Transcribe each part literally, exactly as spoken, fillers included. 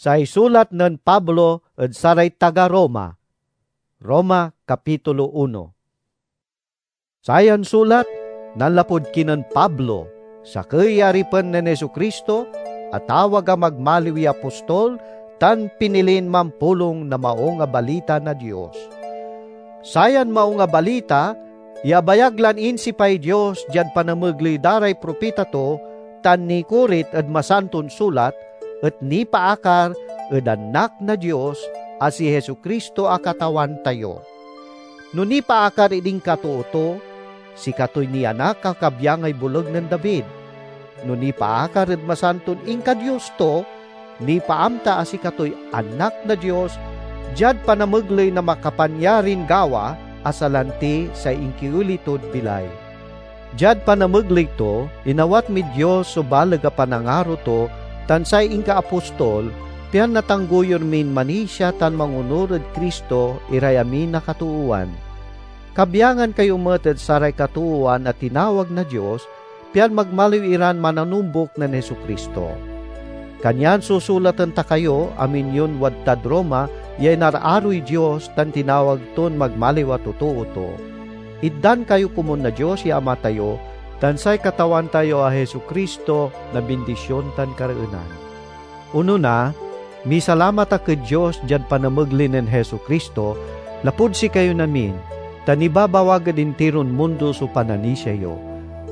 Say sulat nen Pablo ed saray taga Roma. Roma, Kapitulo uno. Sayan sulat, nanlapud kinen Pablo, sakey ya aripen nen Jesu-Cristo, atawag a magmaliw ya apostol, tan pinilin mampulong na Maung a Balita na Dios. Sayan Maung a Balita ya abayag lan insipay Dios diad panamegley da ray propita to tan nikorit ed Masanton Sulat et nipaakar ed Anak na Dios a si Jesu-Cristo a Katawan tayo. No nipaakar ed inkatoo to, sikatoy nianak a kabyangay boleg nen David. No nipaakar ed masanton inka-Dios to, nipaamta a sikatoy Anak na Dios diad panamegley na makapanyarin gawa a salanti say inkioli tod bilay. Diad panamegley to, inawat mid Dios so baleg a panangaro to tan say inkaapostol, pian natanggoyur min manisia tan mangonur ed Cristo iray amin a katoowan. Kabyangan kayo met ed saray katoowan a tinawag na Dios, pian magmaliw iran mananumbok nen Jesu-Cristo. Kanyan susulaten ta kayo, amin yon wadtad Roma, ya inararoy Dios tan tinawag ton magmaliw a totoo to. Itdan kayo komun na Dios ya Ama tayo tan say Katawan tayo a Jesu-Cristo na bindisyon tan kareenan. Onona, misalamat ak ed Dios diad panamegley nen Jesu-Cristo lapud sikayon amin, ta nibabawag ed intiron mundo so pananisia yo.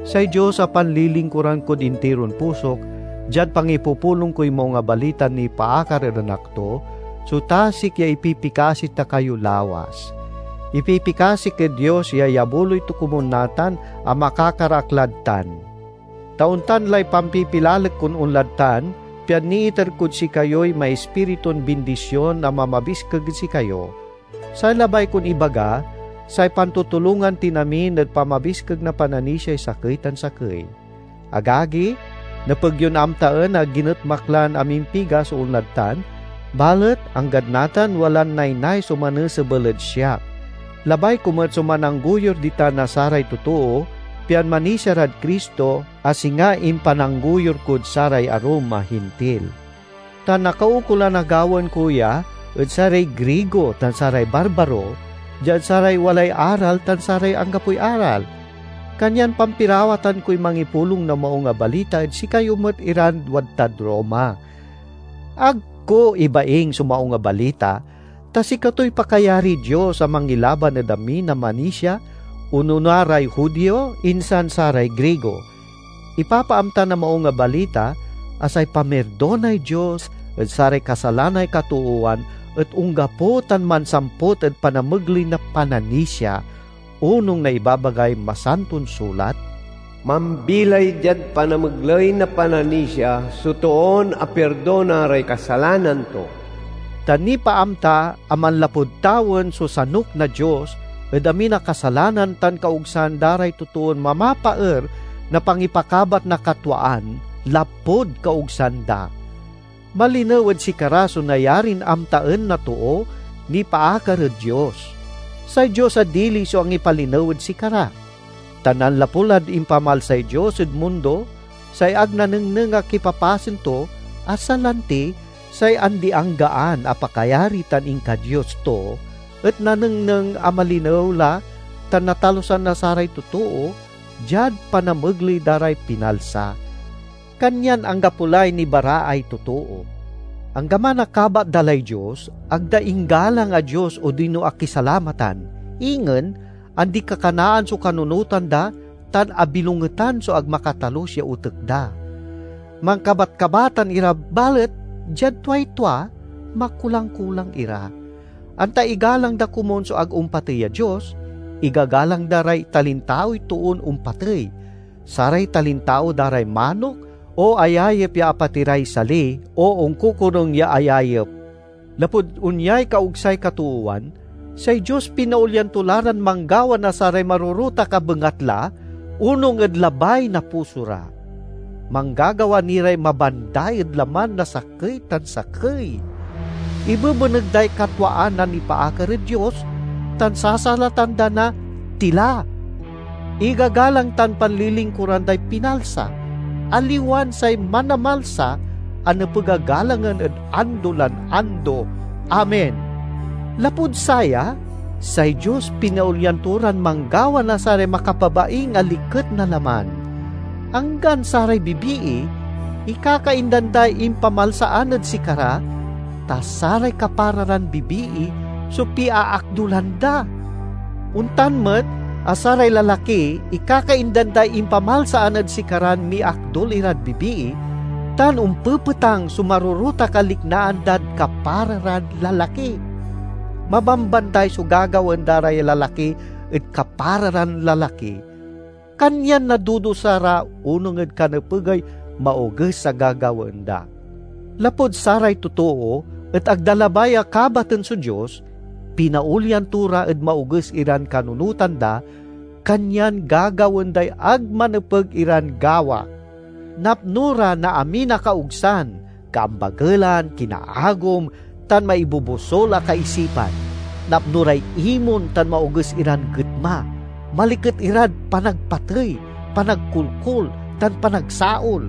Say Dios a panlilingkuran kod intiron pusok, diad pangipupulong koy Maung a Balitan nipaakar ed Anak to, so tasik ya ipipikasi ta kayo lawas. Ipipikasik ed Dios ya iyabuloy to komun natan a makakar ak lad tan. Ta ontan lay pampipilalek kon onlad tan, pian niiter kod sikayoy maispiritun bindisyon a mamabiskeg ed sikayo. Say labay kon ibaga, say pantutulongan tin amin ed pamabiskeg na pananisiay sakey tan sakey. Agagi, nepeg yon amtaen a ginetma ak lan amimpiga so onlad tan, balet anggad natan walan naynay so manesebel ed siak. Labay ko met so manangguyur ditan na saray totoo, pian manisia rad Cristo, a singa impanangguyur kod saray arum a Hintil. Ta nakaukolan a gawaen ko ya ed saray Grigo tan saray Barbaro, diad saray walay aral tan saray anggapoy aral. Kanyan pampirawatan koy mangipulong na Maung a Balita ed sikayo met iran wadtad Roma. Ag ko ibaing so Maung a Balita, ta sikatoy pakayariy Dios a mangilaban ed amin a manisia, onona ray Judio, insan saray Grigo. Ipapaamta na Maung a Balita a say pamirdonay Dios ed saray kasalanay katoowan et onggapo tan mansampot ed panamegley na pananisia, onung na ibabagay Masanton Sulat, "Mambilay diad panamegley na pananisia so toon apirdona ray kasalanan to." Ta nipaamta a manlapud tawen so sanok na Dios ed amin a kasalanan tan kaogsan da ray totoon mamapaer na pangipakabat na katwaan lapud kaogsan da. Malinew ed sikara so nayarin amtaen na too nipaakar ed Dios. Say Dios a dili so angipalinew ed sikara. Ta nanlapu lad impamalsay Dios ed mundo, say ag nanengneng a kipapasen to, a salanti say andi-anggaan a pakayari tan inka-Dios to, et nanengneng a malinew la tan natalusan na saray totoo diad panamegley da ray pinalsa. Kanyan anggapo lay nibaraay totoo. Anggaman a kabat da lay Dios, ag da inggalang a Dios odino akisalamatan, ingen andi-kakanaan so kanunotan da, tan abilongetan so ag makatalus ya otek da. Mankabatkabatan ira, balet diad tuay tua, makulang-kulang ira. Anta igalang da komun so ag ompatey a Dios, igagalang da ray talintaoy toon ompatey. Saray talintao da ray manok, o ayayep ya apatiray sali, o onkokorung ya ayayep. Lapud onyay kaogsay katoowan, say Dios pinaolyan to la ran manggawa na saray marorutak a bengatla, onung ed labay na puso ra. Manggagawa ni ray mabanda ed laman na sakey tan sakey. Ibebeneg day katwaan a nipaakar ed Dios, tan sasalatan da na tila. Igagalang tan panlilingkuran day pinalsa, aliwan say manamalsa, a nepeg a galangen ed ando lan ando. Amen. Lapud saya, say Dios pinaolyan to ran manggawa na saray makapabaing a liket na laman. Anggan saray bibii, ikakaindan day impamalsaan ed sikara, ta saray kapara ran bibii so piaakdulan da. Ontan met a saray lalaki, ikakaindan day impamalsaan ed sikaran miakdul irad bibii, tan ompepetang so marorotak a liknaan dad kapara ran lalaki. Mabambanday so gagawaen da ray lalaki ed kapara ran lalaki. Kanyan nadudusa ra onung ed kanepegay maoges a gagawaen da. Lapud saray totoo et ag da labay a kabaten so Dios, pinaolyan to ra ed maoges iran kanunotan da, kanyan gagawaen day ag manepeg iran gawa. Napno ra na amin a kaogsan, kaambagelan, kinaagom, tan maibobosol a kaisipan. Napno ray imon tan maoges iran getma. Maliket irad panagpatey, panagkolkol, tan panagsaol.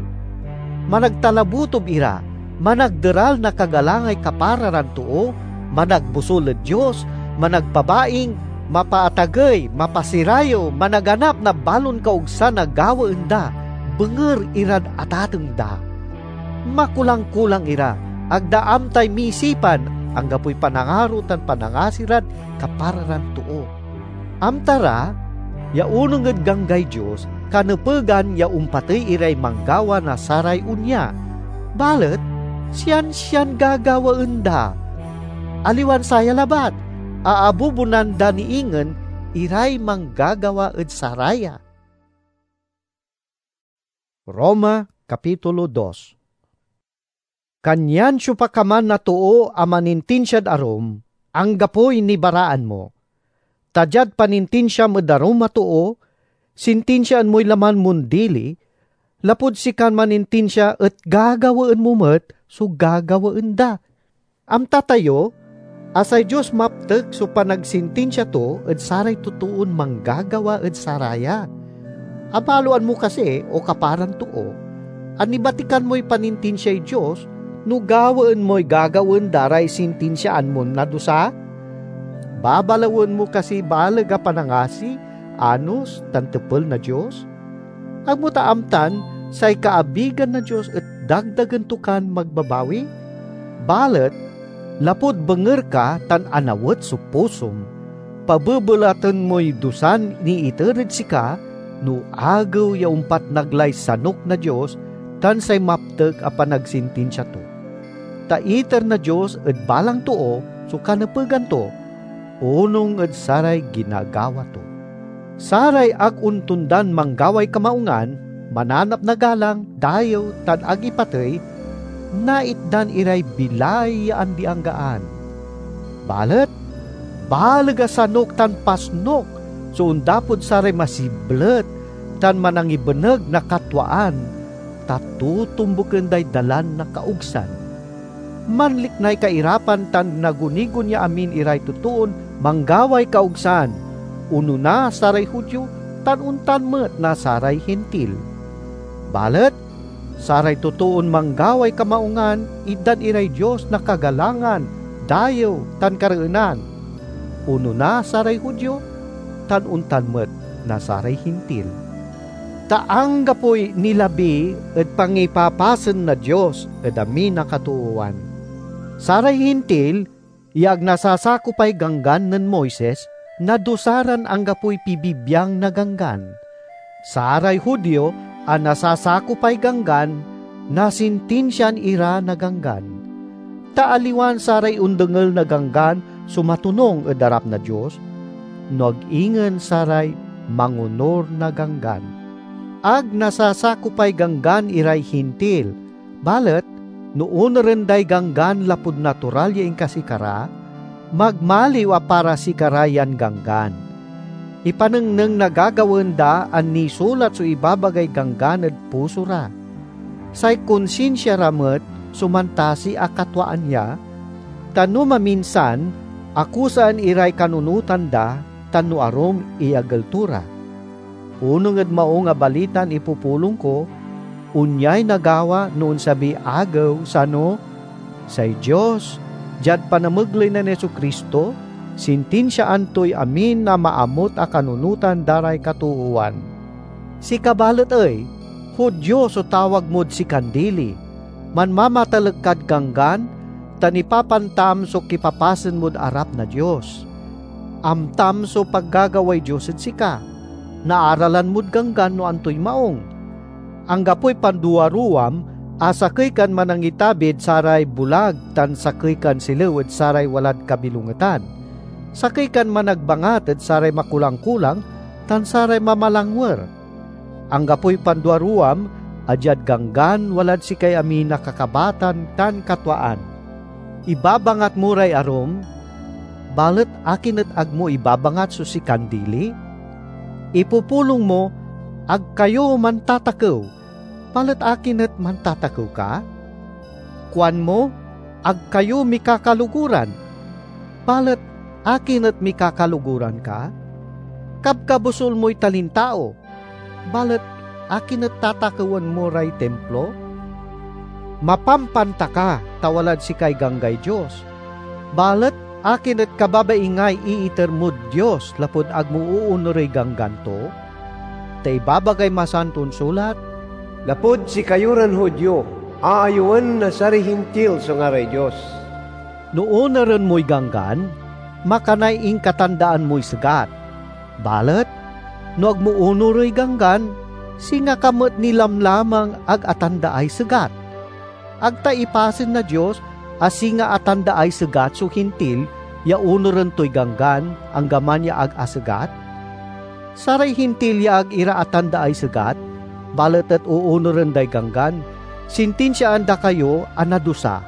Managtalabutob ira, managderal na kagalangay kapara ran too, managbosol ed Dios, managpabaing, mapaatagey, mapasirayew, managanap na balon kaogsan a gawaen da, benger irad atateng da. Makulang-kulang ira, ag da amtay misipan, anggapoy panangaro tan panangasi rad kapara ran too. Amta ra ya onung ed Ganggay Dios, kanepegan ya ompatey iray manggawa na saray onya. Balet siansian gagawaen da. Aliwan saya labat, aabubonan da ni ingen iray manggagawa ed saraya. Roma, Kapitulo dos. Kanyan siopa ka man a too a manintinsiad arum, anggapoy nibaraan mo. Ta diad panintinsiam ed arum a too, sintinsiaan moy laman mon dili, lapud sikan manintinsia et gagawaen mo met so gagawaen da. Amta tayo a say Dios maptek so panagsintinsia to ed saray totoon manggagawa ed saraya. Abaloan mo kasi, o kaparan too, a nibatikan moy panintinsiay Dios no gawaen moy gagawaen da ray sintinsiaan mon nadusa? Babalawen mo kasi baleg a panangasi, anos, tan tepel na Dios? Ag mo ta amtan say kaabigan na Dios et dagdagen to kan magbabawi? Balet lapud benger ka tan anawet so pusom, pabebelaten moy dusan niiter ed sika no agew ya ompatnag lay sanok na Dios tan say maptek a panagsintinsia to. Ta iter na Dios ed balang too so kanepegan to, onung ed saray ginagawa to. Saray ag ontondan manggaway kamaungan, mananap na galang, dayew, tan ag ipatey, naitdan iray bilay ya andi-anggaan. Balet baleg a sanok tan pasnok so ondapod saray masiblet tan manangibeneg na katwaan, ta totombuken day dalan na kaogsan. Manliknay kairapan tan nagunigon ya amin iray totoon manggaway kaogsan, onona saray Judio tan ontan met na saray Hintil. Balet saray totoon manggaway kamaungan itdan iray Dios na kagalangan, dayew, tan kareenan, onona saray Judio tan ontan met na saray Hintil. Ta anggapoy nilabi ed pangipapasen na Dios ed amin a katoowan. Saray Hintil ya ag nasasakopay Ganggan nen Moises nadusa ran anggapoy pibibiang na Ganggan. Saray Judio a nasasakopay Ganggan nasintinsiaan ira na Ganggan. Ta aliwan saray ondengel na Ganggan so matonung ed arap na Dios, no ag ingen saray mangonur na Ganggan. Ag nasasakopay Ganggan iray Hintil, balet no onuren day Ganggan lapud natural ya inkasikara, magmaliw a para sikara yan Ganggan. Ipanengneng na gagawaen da a nisulat so ibabagay Ganggan ed puso ra. Say konsinsia ra met so mantasi a katwaan ya, ta no maminsan, akusaan iray kanunotan da, tan no arum, iyagel to ra. Onung ed Maung a Balitan ipupulong ko, Onyay nagawa no onsabiy agew, sano? Say Dios, diad panamegley nen Jesu-Cristo, sintinsiaan toy amin a maamut a kanunotan da ray katoowan. Sika balet ey, Judio so tawag mod sikan dili, manmamatalek kad Ganggan, tan ipapantam so kipapasen mod arap na Dios. Amtam so paggagaway Dios ed sika. Naaralan mod Ganggan no antoy maong. Anggapoy panduaruwam a sakey kan manangitabid saray bulag tan sakey kan silew ed saray walad kabilongetan. Sakey kan managbangat ed saray makulang-kulang tan saray mamalangwer. Anggapoy panduaruwam a diad Ganggan walad sikay amin a kakabatan tan katwaan. Ibabangat mo ray arum, balet akin et ag mo ibabangat so sikan dili? Ipupulong mo, "Ag kayo mantatakew," balet akin et mantatakew ka? Kuanmo, "Ag kayo mikakaluguran," balet akin et mikakaluguran ka? Kabkabusol moy talintao, balet akin et tatakewen mo ray Timplo? Mapampanta ka, ta walad sikay ganggay Dios. Balet akin et kababaingay iiter mod Dios lapud ag mo oonorey Ganggan to? Ta ibabagay Masanton Sulat, "Lapud sikayo ran Judio, aayewen na saray Hintil so ngaray Dios." No onuren moy Ganggan, makanay inkatandaan moy segat. Balet no ag mo onorey Ganggan, singa ka met ni lamlamang ag atandaay segat. Ag ta ipasen na Dios a singa atandaay segat so Hintil ya onuren toy Ganggan, anggaman ya ag asegat? Saray Hintil ya ag ira atandaay segat, balet et oonuren day Ganggan, sintinsiaan da kayo a nadusa,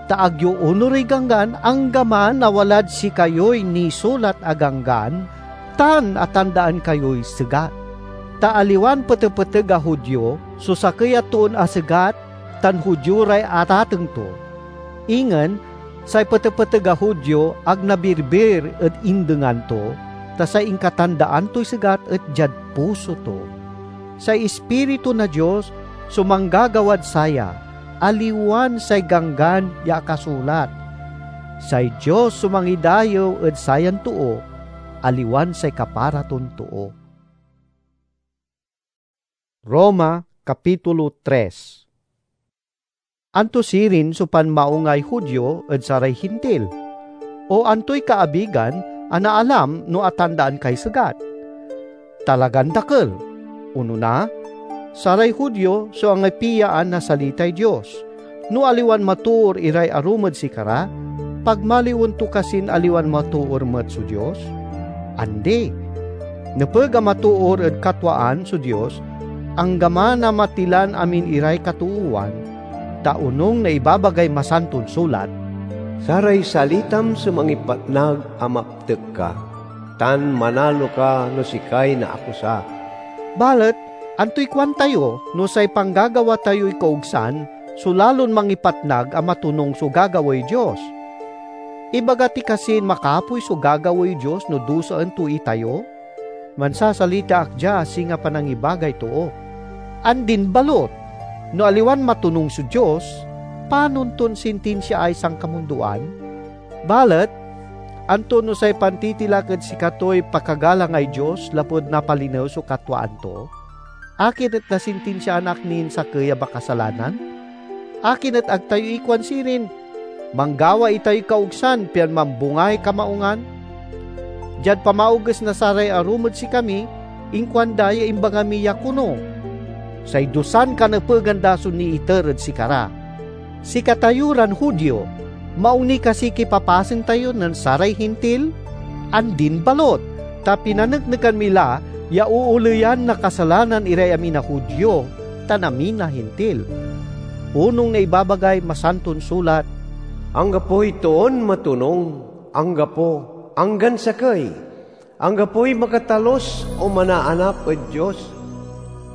ta ag yo onorey Ganggan, anggaman a walad sikayoy nisulat a Ganggan tan atandaan kayoy segat. Ta aliwan petepeteg a Judio so sakey a toon asegat tan Judio ray atateng to. Ingen, say petepeteg a Judio ag nabirbir ed indengan to, ta say inkatandaan toy segat et diad puso to. Say Ispiritu na Dios so manggagawad saya, aliwan say Ganggan ya akasulat. Say Dios so mangidayew ed sayan too, aliwan say kapara ton too. Roma, Kapitulo tres. Anto sirin so panmaongay Judio ed saray Hintil? O antoy kaabigan a naalam no atandaan kay segat? Talagan dakel! Onona, saray Judio so angipiyaan na salitay Dios. No aliwan matoor iray arum ed sikara, pagmaliwen to kasin aliwan matoor met so Dios? Andi! Nepeg a matoor ed katwaan so Dios, anggaman a matilan amin iray katoowan, ta onung na ibabagay Masanton Sulat, "Saray salitam so mangipatnag a maptek ka, tan manalo ka no sikay naakusa." Balet antoy kuantayo no say panggagawa tayoy kaogsan so lalon mangipatnag a matonung so gagawaey Dios? Ibaga ti kasin makapoy so gagawaey Dios no dusaen to itayo? Mansasalita ak dia a singa panangibagay too. Andin balut! No aliwan matonung so Dios, panon ton sintinsiaay sankamundoan? Balet, anto no say pantitilak ed sikatoy pakagalangay Dios lapud napalinew so katwaan to? Akin et nasintinsiaan ak nin sakey a makasalanan? Akin et ag tayo ikuan sirin, "Manggawa itayoy kaogsan pian mambungay kamaungan"? Diad pamaoges na saray arum ed sikami, inkuanda ya imbaga mi ya kono, "Say dusan kanepegan da so niiter ed sikara." Sikatayo ran Judio, maong ni kasi kipapasen tayo nen saray Hintil? Andin balut, ta pinaneknekan mi la ya ooleyan na kasalanan iray amin a Judio tan amin a Hintil. Onung na ibabagay Masanton Sulat, "Anggapoy toon matonung, anggapo, anggan sakey." Anggapoy makatalus o manaanap ed Dios.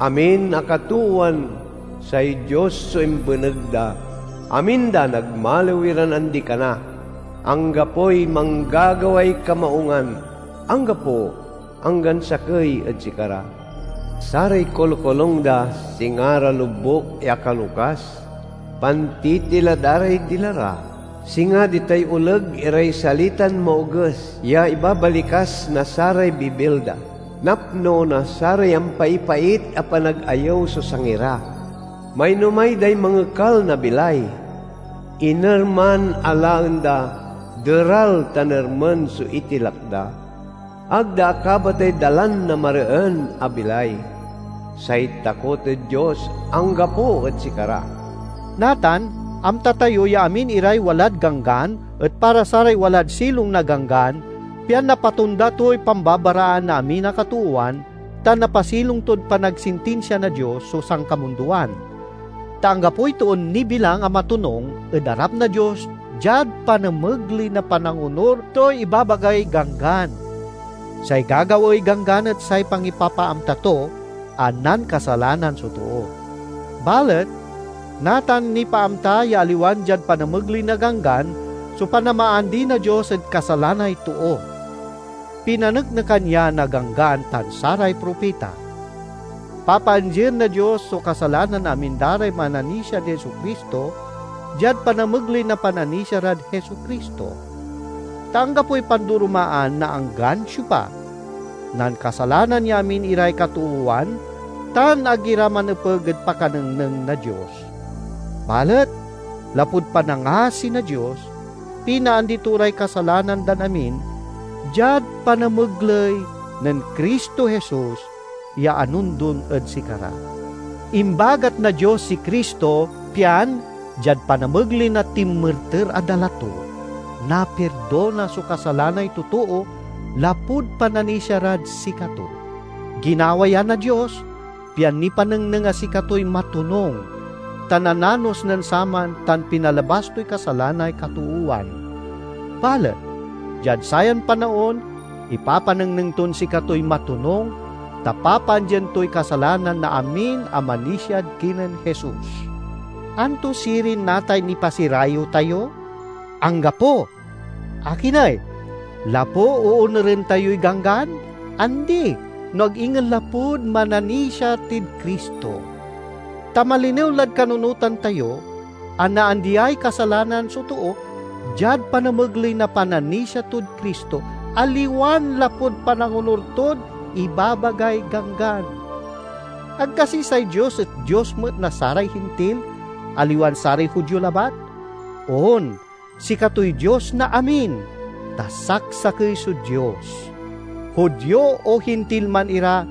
Amin a katoowan, say Dios so imbeneg da. Amin da nagmaliw iran andi-kana. Anggapoy manggagaway kamaungan, anggapo, anggan sakey ed sikara. Saray kolkolung da singa ra lobuk ya kalokas, pantitila da ray dila ra. Singa ditay oleg iray salitan maoges ya ibabalikas na saray bibil da. Napno na saray ampaipait a panagayew so sangi ra. Mainomay day mangekal na bilay. Iner man a laen da, deral tan ermen so itilak da. Ag da akabatay dalan na mareen a bilay. Say takot ed Dios anggapo ed sikara. Natan, amta tayo ya amin iray walad Ganggan et para saray walad silong na Ganggan, pian napatonda toy pambabaraan na amin a katoowan, tan napasilong tod panagsintinsia na Dios so sankamundoan. Ta anggapoy toon nibilang a matonung ed arap na Dios diad panamegley na panangonur toy ibabagay Ganggan. Say gagawaey Ganggan et say pangipapaamta to a nankasalanan so too. Balet, natan nipaamta ya aliwan diad panamegley na Ganggan so panamaandi na Dios ed kasalanay too. Pinaneknekan ya na Ganggan tan saray propita. Papaandien na Dios so kasalanan na amin da ray mananisiad Jesu-Cristo diad panamegley na pananisia rad Jesu-Cristo. Ta anggapoy pandoromaan na anggan siopa. Nankasalanan ya amin iray katoowan, tan ag ira manepeg ed pakanengneng na Dios. Balet, lapud panangasi na Dios, pinaandi to ray kasalanan dan amin diad panamegley nen Cristo Jesus ya anondon ed sikara. Imbagat na Dios si Cristo, pian diad panamegley na tinmerter a dala to, napirdona so kasalanay totoo lapud pananisia rad sikato. Ginawa ya na Dios, pian nipanengneng a sikatoy matonung, ta nananos nen saman tan pinalabas toy kasalanay katoowan. Balet, diad sayan panaon, ipapanengneng ton sikatoy matonung, ta papaandien toy kasalanan na amin a manisiad kinen Jesus. Anto sirin natay nipasirayew tayo? Anggapo! Akin ey? Lapu oonuren tayoy Ganggan? Andi, no ag ingen lapud mananisia tid Cristo. Ta malinew lad kanunotan tayo a naandiay kasalanan so too diad panamegley na pananisia tod Cristo, aliwan lapud panangonur tod ibabagay Ganggan. Ag kasi say Dios et Dios met na saray Hintil, aliwan saray Judio labat? On, sikatoy Dios na amin, ta saksakey so Dios. Judio o Hintil man ira,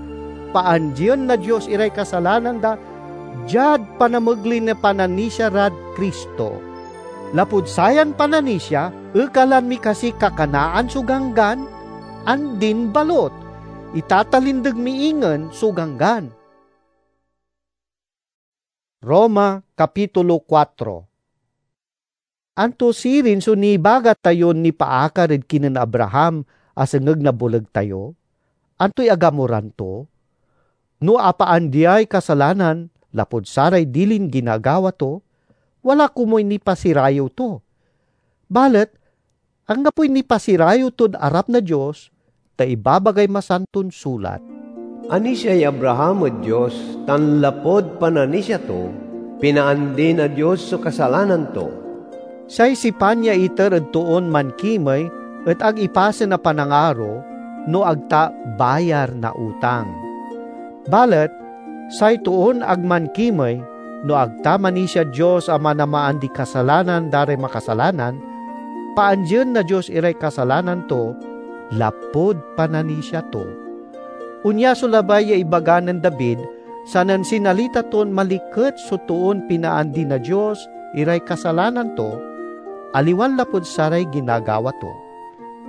paandien na Dios iray kasalanan da diad panamegley na pananisia rad Cristo. Lapud sayan pananisia, ekalan mi kasiy kakanaan so Ganggan? Andin balut, itatalindeg mi ingen so Ganggan. Roma, Kapitulo kuatro. Anto sirin so nibaga tayon nipaakar ed kinen Abraham a sengeg na boleg tayo? Antoy agamoran to? No apaandiay kasalanan lapud saray dilin ginagawa to, wala komuy nipasirayew to. Balet anggapoy nipasirayew tod arap na Dios, ta ibabagay Masanton Sulat, "Anisiay Abraham ed Dios, tan lapud pananisia to, pinaandi na Dios so kasalanan to." Say sipan ya iter ed toon mankimey et ag ipasen a panangaro, no ag ta bayar na utang. Balet say toon ag mankimey, no ag ta manisiad Dios a manamaandiy kasalanan da ray makasalanan, paandien na Dios iray kasalanan to lapud pananisia to. Onya so labay ya ibaga nen David, sanen sinalita ton maliket so toon pinaandi na Dios iray kasalanan to, aliwan lapud saray ginagawa to.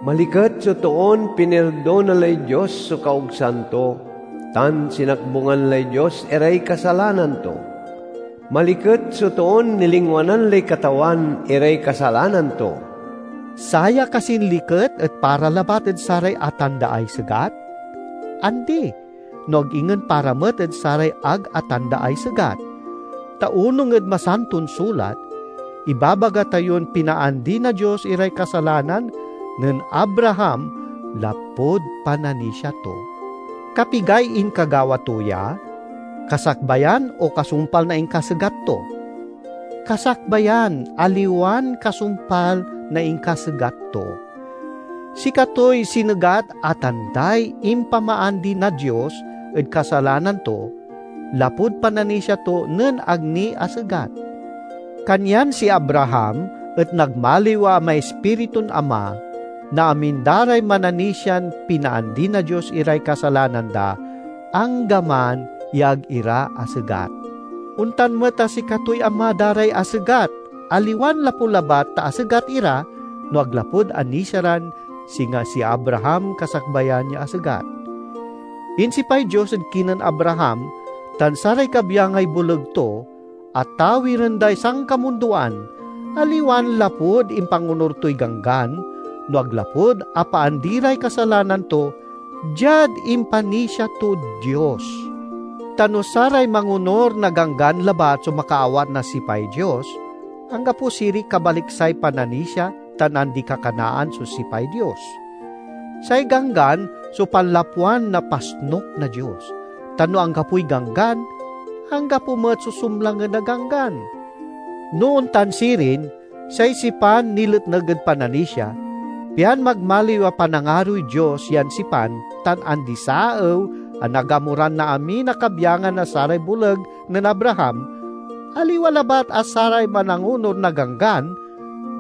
Maliket so toon pinirdona lay Dios so kaogsan to, tan sinakbungan lay Dios iray kasalanan to. Maliket so toon nilingwanan lay Katawan iray kasalanan to. Saya kasin liket et para labat ed saray atandaay segat? Andi, no ag ingen para met ed saray ag atandaay segat. Ta onung ed Masanton Sulat, ibabaga tayon pinaandi na Dios iray kasalanan nen Abraham lapud pananisia to. Kapigay inkagawa to ya? Kasakbayan o kasumpal na inkasegat to? Kasakbayan, aliwan kasumpal na inkasegat to. Sikatoy sinegat a tanday impamaandi na Dios ed kasalanan to, lapud pananisia to nen ag ni asegat. Kanyan si Abraham et nagmaliw a maispiritun ama na amin da ray mananisian pinaandi na Dios iray kasalanan da, anggaman ya ag ira asegat. Ontan met a sikatoy ama da ray asegat, aliwan lapu labat ta asegat ira, no ag lapud anisia ran singa si Abraham kasakbayan ya asegat. Insipay Dios ed kinen Abraham tan saray kabyangay boleg to, a tawiren day sankamundoan, aliwan lapud impangonor toy Ganggan, no ag lapud apaandi ray kasalanan to diad impanisia tod Dios. Ta no saray mangonor na Ganggan labat so makaawat na sipay Dios, anggapo sirin kabaliksay pananisia tan andi-kakanaan so sipay Dios. Say Ganggan so panlapwan na pasnok na Dios, tan no anggapoy Ganggan, anggapo met so sumlangen na Ganggan. No ontan sirin, say sipan niletneg ed pananisia, pian magmaliw a panangaroy Dios yan sipan tan andi-saew a nagamoran na amin a kabyangan na saray boleg nen Abraham, aliwa labat a saray manangonor na Ganggan,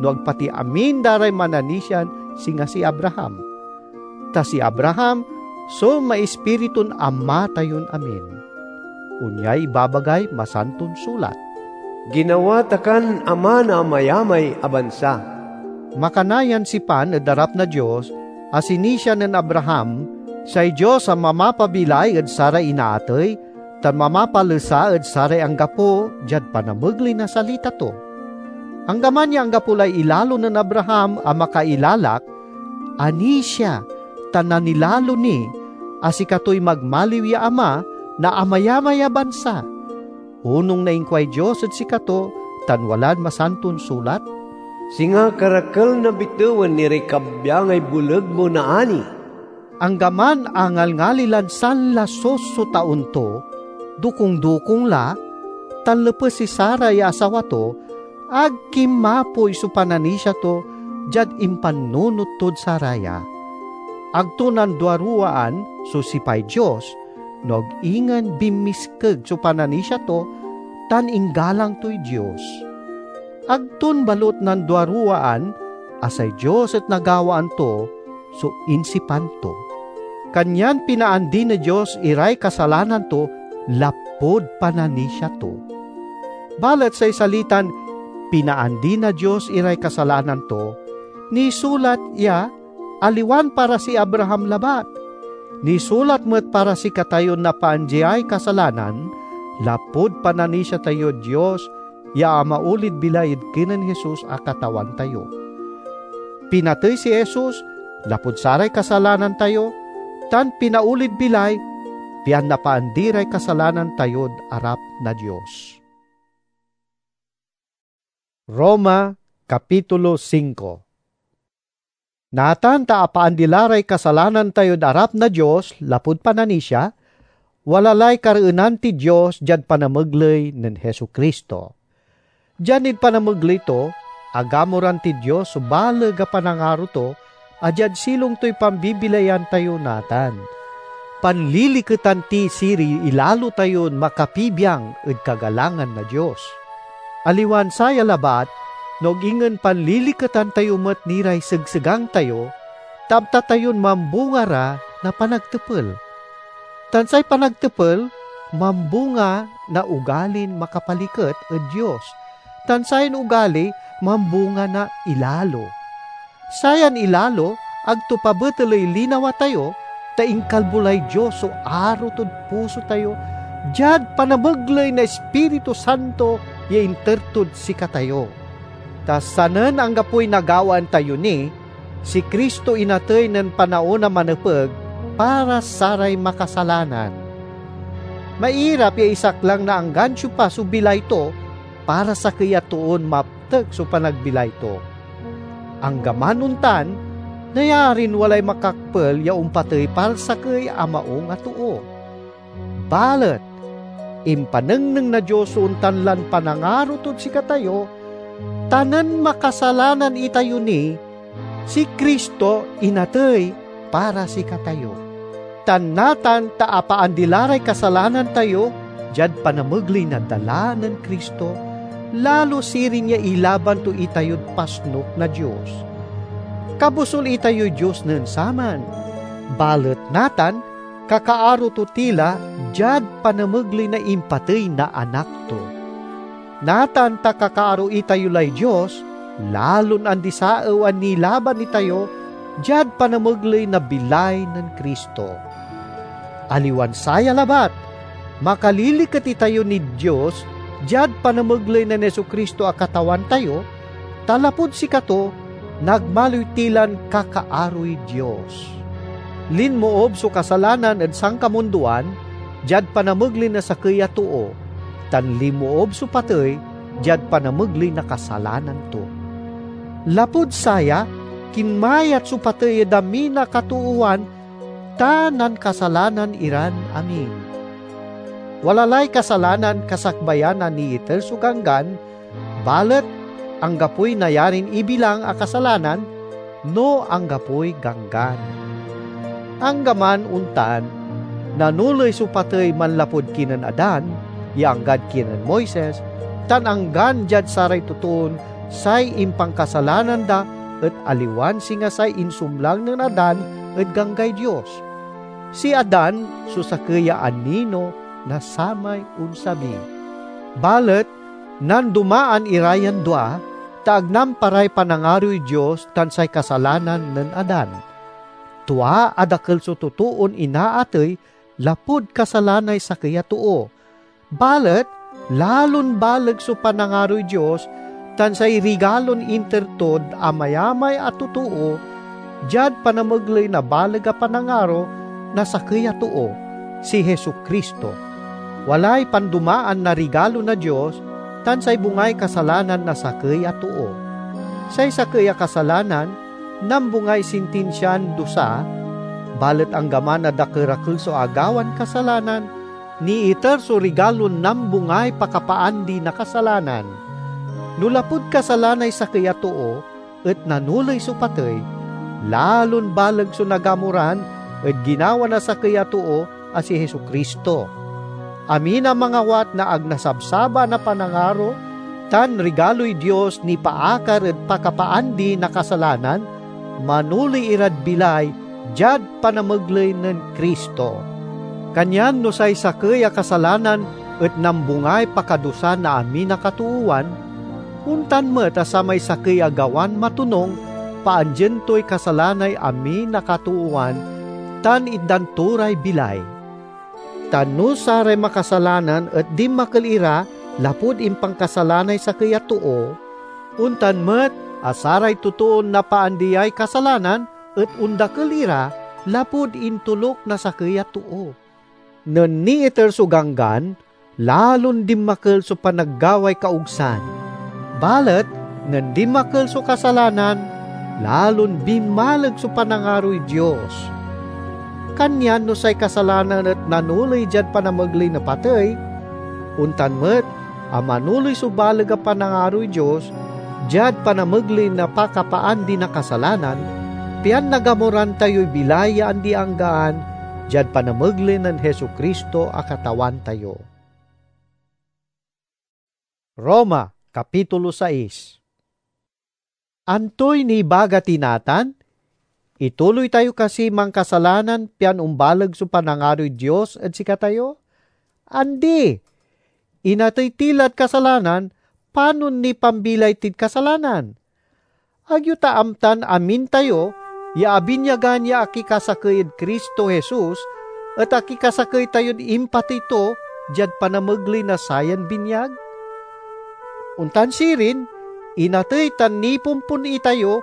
no ag pati amin da ray mananisian singa si Abraham. Ta si Abraham so maispiritun ama tayon amin. Onyay ibabagay Masanton Sulat, "Ginawa ta kan ama na amayamay a bansa." Makana yan sipan ed arap na Dios a sinisia nen Abraham, say Dios a mamapabilay ed saray inaatey, tan mamapalesa ed saray anggapo diad panamegley na salita to. Anggaman ya anggapo lay ilalo nen Abraham a makailalak, anisia tan nanilalo ni a sikatoy magmaliw ya ama na amayamay a bansa, onung na inkuay Dios ed sikato tan walad Masanton Sulat, "Singa karakel na bitewen iray kabyangay boleg mo naani." Anggaman a ngalngali lan sanlasus so taon to, dokung-dokung la, tan lepes si Sara ya asawa to, ag kinmapoy so pananisia to diad impannunot tod saraya. Ag to nanduaruwaan so sipay Dios, no ag ingen binmiskeg so pananisia to, tan inggalang toy Dios. Ag ton balut nanduaruwaan a say Dios et nagawaan to so insipan to. Kanyan pinaandi na Dios iray kasalanan to lapud pananisia to. Balet say salitan "pinaandi na Dios iray kasalanan to" nisulat ya aliwan para si Abraham labat. Nisulat met para sikatayon napaandiay kasalanan, lapud pananisia tayod Dios ya amaulid bilay ed kinen Jesus a Katawan tayo. Pinatey si Jesus lapud saray kasalanan tayo, tan pinaulid bilay pian napaandi ray kasalanan tayod arap na Dios. Roma, Kapitulo singko. Natan ta apaandi la ray kasalanan tayod arap na Dios lapud pananisia, wala lay kareenan tid Dios diad panamegley nen Jesu-Cristo. Diad ed panamegley to, agamoran tid Dios so baleg a panangaro to, a diad silong toy pambibilayan tayo natan. Panliliketan ti siri ilalo tayon makapibiang ed kagalangan na Dios. Aliwan saya labat, no ag ingen panliliketan tayo met ni ray segsegang tayo, ta amta tayon mambunga ra na panagtepel. Tan say panagtepel mambunga na ugalin makapaliket ed Dios, tan sayan ugali mambunga na ilalo. Sayan ilalo ag to pabeteley linawa tayo, ta inkalbo lay Dios so aro tod puso tayo diad panamegley na Ispiritu Santo ya inter tod sikatayo. Ta sanen anggapoy nagawaan tayo ni, si Cristo inatey nen panaon a manepeg para saray makasalanan. Mairap ya isaklang na anggan siopa so bilay to para sakey a toon maptek so panagbilay to. Anggaman ontan, Nayarin walay makakpel ya ompatey para sakey a maung a too. Balet impanengneng na Dios so ontan lan panangaro tod sikatayo, ta nen makasalanan itayo ni, si Cristo inatey para sikatayo. Tan natan ta apaandi la ray kasalanan tayo diad panamegley na dala nen Cristo, lalo sirin ya ilaban to itayod pasnok na Dios. Kabusol itayoy Dios nen saman, balet natan kakaaro to ti la diad panamegley na impatey na Anak to. Natan ta kakaaro itayo lay Dios, lalon andi-saew a nilaban itayo diad panamegley na bilay nen Cristo. Aliwan saya labat, makaliliket itayo nid Dios diad panamegley nen Jesu-Cristo a Katawan tayo, ta lapud sikato, nagmaliw ti lan kakaaroy Dios. Linmoob so kasalanan ed sankamundoan diad panamegley na sakey a too, tan linmoob so patey diad panamegley na kasalanan to. Lapud saya, kinmayat so patey ed amin a katoowan ta nankasalanan iran amin. Wala lay kasalanan kasakbayan a niiter so Ganggan, balet anggapoy nayarin ibilang a kasalanan no anggapoy Ganggan. Anggaman ontan, nanoley so patey manlapud kinen Adan, ya anggad kinen Moises, tan anggan diad saray totoon say impankasalanan da et aliwan singa say insumlang nen Adan ed Ganggay Dios. Si Adan so sakey ya anino na samay onsabi. Balet nandomaan ira yan dua, ta ag namparay panangaroy Dios tan say kasalanan nen Adan. Tua a dakel so totoon inaatey lapud kasalanay sakey a too. Balet lalon baleg so panangaroy Dios tan say rigalon inter tod amayamay a totoo diad panamegley na baleg a panangaro na sakey a too, si Jesu-Cristo. Walay pandomaan na rigalo na Dios tan say bungay kasalanan na sakey a too. Say sakey a kasalanan nambungay sintinsian dusa, balet anggaman a dakerakel so agawan kasalanan, niiter so rigalon nambungay pakapaandi na kasalanan. No lapud kasalanay sakey a too et nanoley so patey, lalon baleg so nagamoran ed ginawa na sakey a too a si Jesu-Cristo. Amin a mangawat na ag nasabsabaan a panangaro tan rigaloy Dios nipaakar ed pakapaandi na kasalanan, manoley irad bilay diad panamegley nen Cristo. Kanyan no say sakey a kasalanan et nambungay pakadusa na amin a katoowan, ontan met a samay sakey a gawan matonung paandien toy kasalanay amin a katoowan tan itdan to ray bilay. Ta no saray makasalanan et dinmakel ira lapud impankasala nay sakey a too, ontan met a saray totoon napaandiay kasalanan et ondakel ira lapud intoluk na sakey a too. Nen niiter so Ganggan, lalon dinmakel so panaggaway kaogsan. Balet nen dinmakel so kasalanan, lalon binmaleg so panangaroy Dios. Kanyan no say kasalanan et nanoley diad panamegley na patey, ontan met a manoley so baleg a panangaroy Dios diad panamegley na pakapaandi na kasalanan, pian nagamoran tayoy bilay ya andi-anggaan diad panamegley nen Jesu-Cristo a Katawan tayo. Roma, Kapitulo sais. Antoy nibaga ti natan? Ituloy tayo kasi mankasalanan pian ombaleg so panangaroy Dios ed sikatayo? Andi! Inatey ti lad kasalanan, panon nipambilay tid kasalanan? Ag yo ta amtan amin tayo ya abinyagan ya akikasakey ed Cristo Jesus et akikasakey tayod impatey to diad panamegley na sayan binyag? Ontan sirin, inatey tan nipompon itayo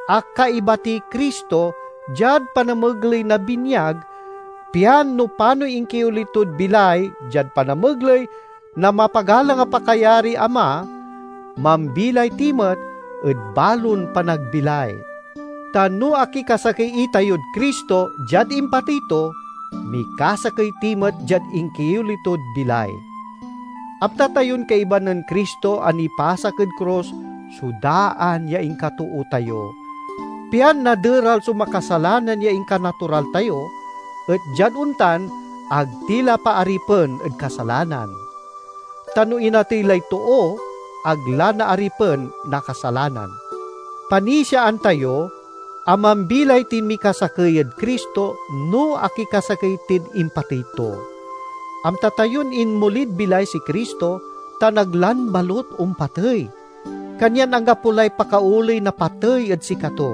a kaiba ti Cristo diad panamegley na binyag, pian no panoy inkioli tod bilay diad panamegley na mapagalang a pakayariy Ama, mambilay ti met ed balon panagbilay. Ta no akikasakey itayod Cristo diad impatey to, mikasakey ti met diad inkioli tod bilay. Amta tayon kaiba nen Cristo a nipasak ed krus so daan ya inkatoo tayo, pian naderal so makasalanan ya inkanatural tayo, et diad ontan, ag ti la paaripen ed kasalanan. Ta no inatey lay too, ag la naaripen na kasalanan. Panisiaan tayo a mambilay tin mikasakey ed Cristo no akikasakey tid impatey to. Amta tayon inmolid bilay si Cristo tan ag lan balut ompatey. Kanyan anggapo lay pakaoley na patey ed sikato.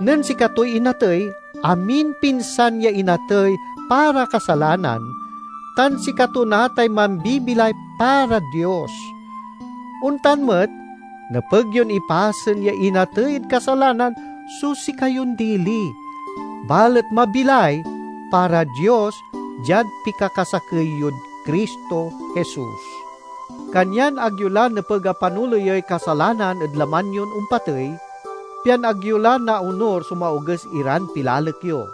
Nen sikatoy inatey, amin pinsan ya inatey para kasalanan, tan sikato natay mambibilay para Dios. Ontan met, nepeg yon ipasen ya inatey ed kasalanan so sikayon dili, balet mabilay para Dios diad pikakasakey yod Cristo Jesus. Kanyan ag yo la nepeg a panoleyey kasalanan ed laman yon ompatey, pian ag yo la naonur so maoges iran pilalek yo.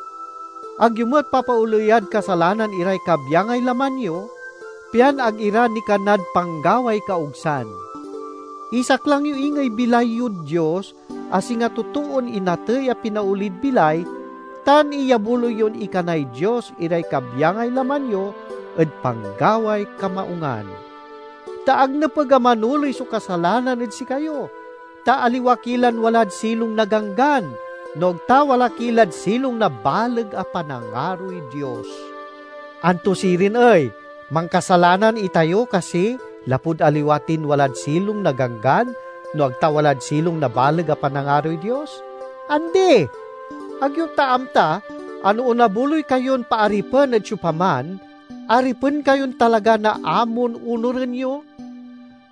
Ag yo met papaoleyad kasalanan iray kabyangay laman yo, pian ag ira nikanad panggaway kaogsan. Isaklang yo ingey bilay yod Dios a singa totoon inatey a pinaolid bilay, tan iyabuloy yon ikanay Dios iray kabyangay laman yo ed panggaway kamaungan. Ta ag nepeg a manoley so kasalanan ed sikayo, ta aliwa ki lan walad silong na Ganggan, no ag ta wala ki lad silong na baleg a panangaroy Dios. Anto sirin ey? Mankasalanan itayo kasi lapud aliwa tin walad silong na Ganggan, no ag ta walad silong na baleg a panangaroy Dios? Andi! Ag yo ta amta a no onabuloy kayon paaripen ed siopaman, aripen kayon talaga na amon onuren yo?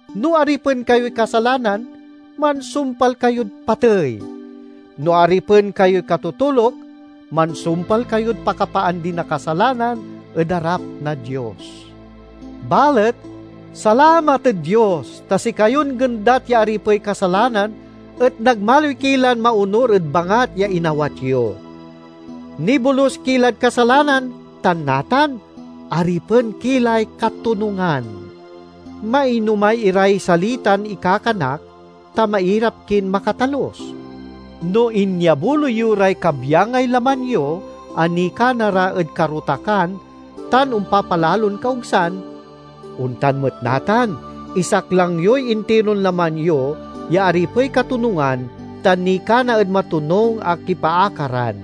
No aripen kayoy kasalanan, mansumpal kayod patey. No aripen kayoy katotoluk, mansumpal kayod pakapaandi na kasalanan ed arap na Dios. Balet, salamat ed Dios, ta sikayon gendat ya aripey kasalanan et nagmaliw ki lan maonur ed bangat ya inawat yo. Nibolus ki lad kasalanan, tan natan, aripen ki lay katonungan. Mainomay iray salitan ikakanak, ta mairap kin makatalus. No inyabuloy yo ray kabyangay laman yo a nikana ra ed karotakan tan ompapalalon kaogsan, ontan met natan, isaklang yoy intiron laman yo ya aripey katonungan tan nikana ed matonung a kipaakaran.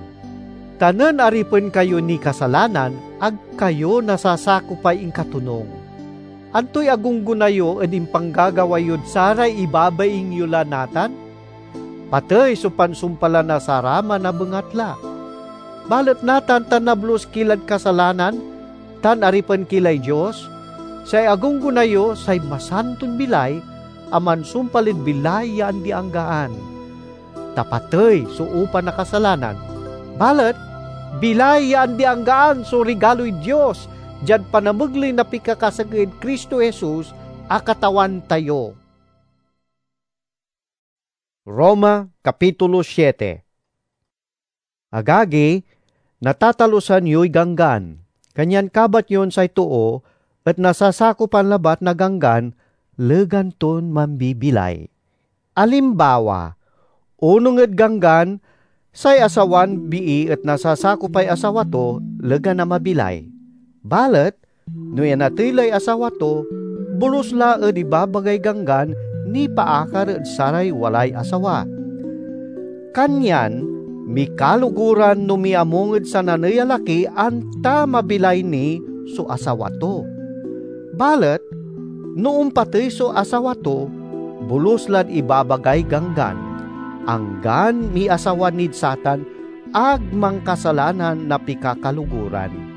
Ta nen aripen kayo ni kasalanan, ag kayo nasasakopay inkatonung. Antoy agunggona yo ed impanggagawa yod saray ibabaing yo la natan? Patey so pansumpal la na saraman a bengatla. Balet natan ta nabolus ki lad kasalanan tan aripen ki lay Dios, say agunggona yo say masanton bilay a mansumpal ed bilay ya andi-anggaan. Ta patey so upa na kasalanan, balet bilay ya andi-anggaan so rigaloy Dios diad panamegley na pikakasakey ed Cristo Jesus a Katawan tayo. Roma, Kapitulo siete. Agagi, natatalusan yoy Ganggan, kanyan kabat yon say too et nasasakopan labat na Ganggan legan ton mambibilay. Alimbawa, onung ed Ganggan, say asawan bii et nasasakopay asawa to legan a mabilay. Balet, no inatey lay asawa to, bolus la ed ibabagay Ganggan nipaakar ed saray walay asawa. Kanyan, mikaloguran no miamung ed sananey a laki anta mabilay ni so asawa to. Balet, no ompatey so asawa to, bolus lad ibabagay Ganggan, anggan miasawa nid satan ag mankasalanan na pikakaloguran.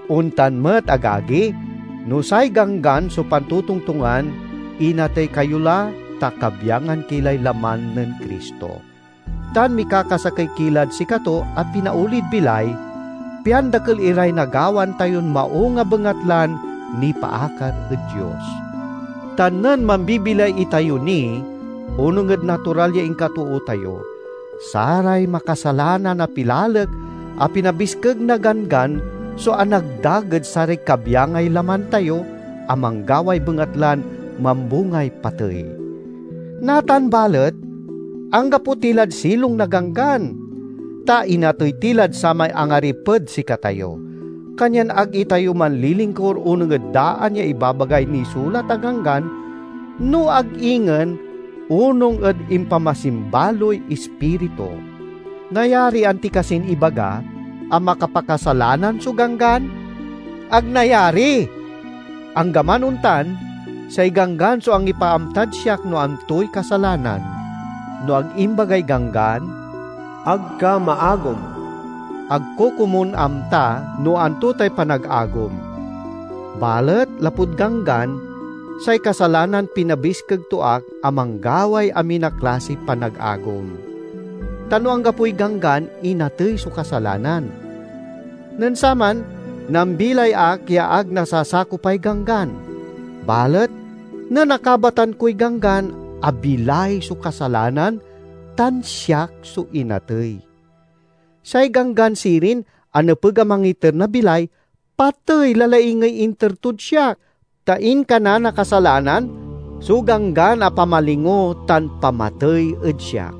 Ontan met, agagi, no say Ganggan so pantotongtongan, inatey kayo la, ta kabyangan ki lay laman nen Cristo. Tan mikakasakey ki lad sikato a pinaolid bilay, pian dakel iray nagawan tayon maung a bengatlan nipaakar ed Dios. Tan nen mambibilay itayo ni, onung ed natural ya inkatoo tayo, Saray makasalanan a pilalek a pinabiskeg na Ganggan so anagdag ed saray kabyangay laman tayo a manggaway bengatlan mambungay patey. Natan balet, anggapo ti lad silong na Ganggan, ta inatey ti lad samay angariped sikatayo. Kanyan ag itayo manlilingkur onung ed daan ya ibabagay nisulat a Ganggan, no ag ingen onung ed impamasimbaloy Ispiritu. Nayari anti kasin ibaga a makapakasalanan so Ganggan? Ag nayari! Anggaman ontan, say Ganggan so angipaamtad siak no antoy kasalanan. No ag imbagay Ganggan, "Ag ka maagom." Ag ko komun amta no anto tay panagagom. Balet lapud Ganggan, say kasalanan pinabiskeg to ak a manggaway amin a klasiy panagagom. Ta no anggapoy Ganggan, inatey so kasalanan. Nen saman, nambilay ak ya ag nasasakopay Ganggan. Balet nen akabatan koy Ganggan, abilay so kasalanan tan siak so inatey. Say Ganggan sirin a nepeg a mangiter na bilay, patey la laingey inter tod siak, ta inkana na kasalanan so Ganggan a pamalingo tan pamatey ed siak.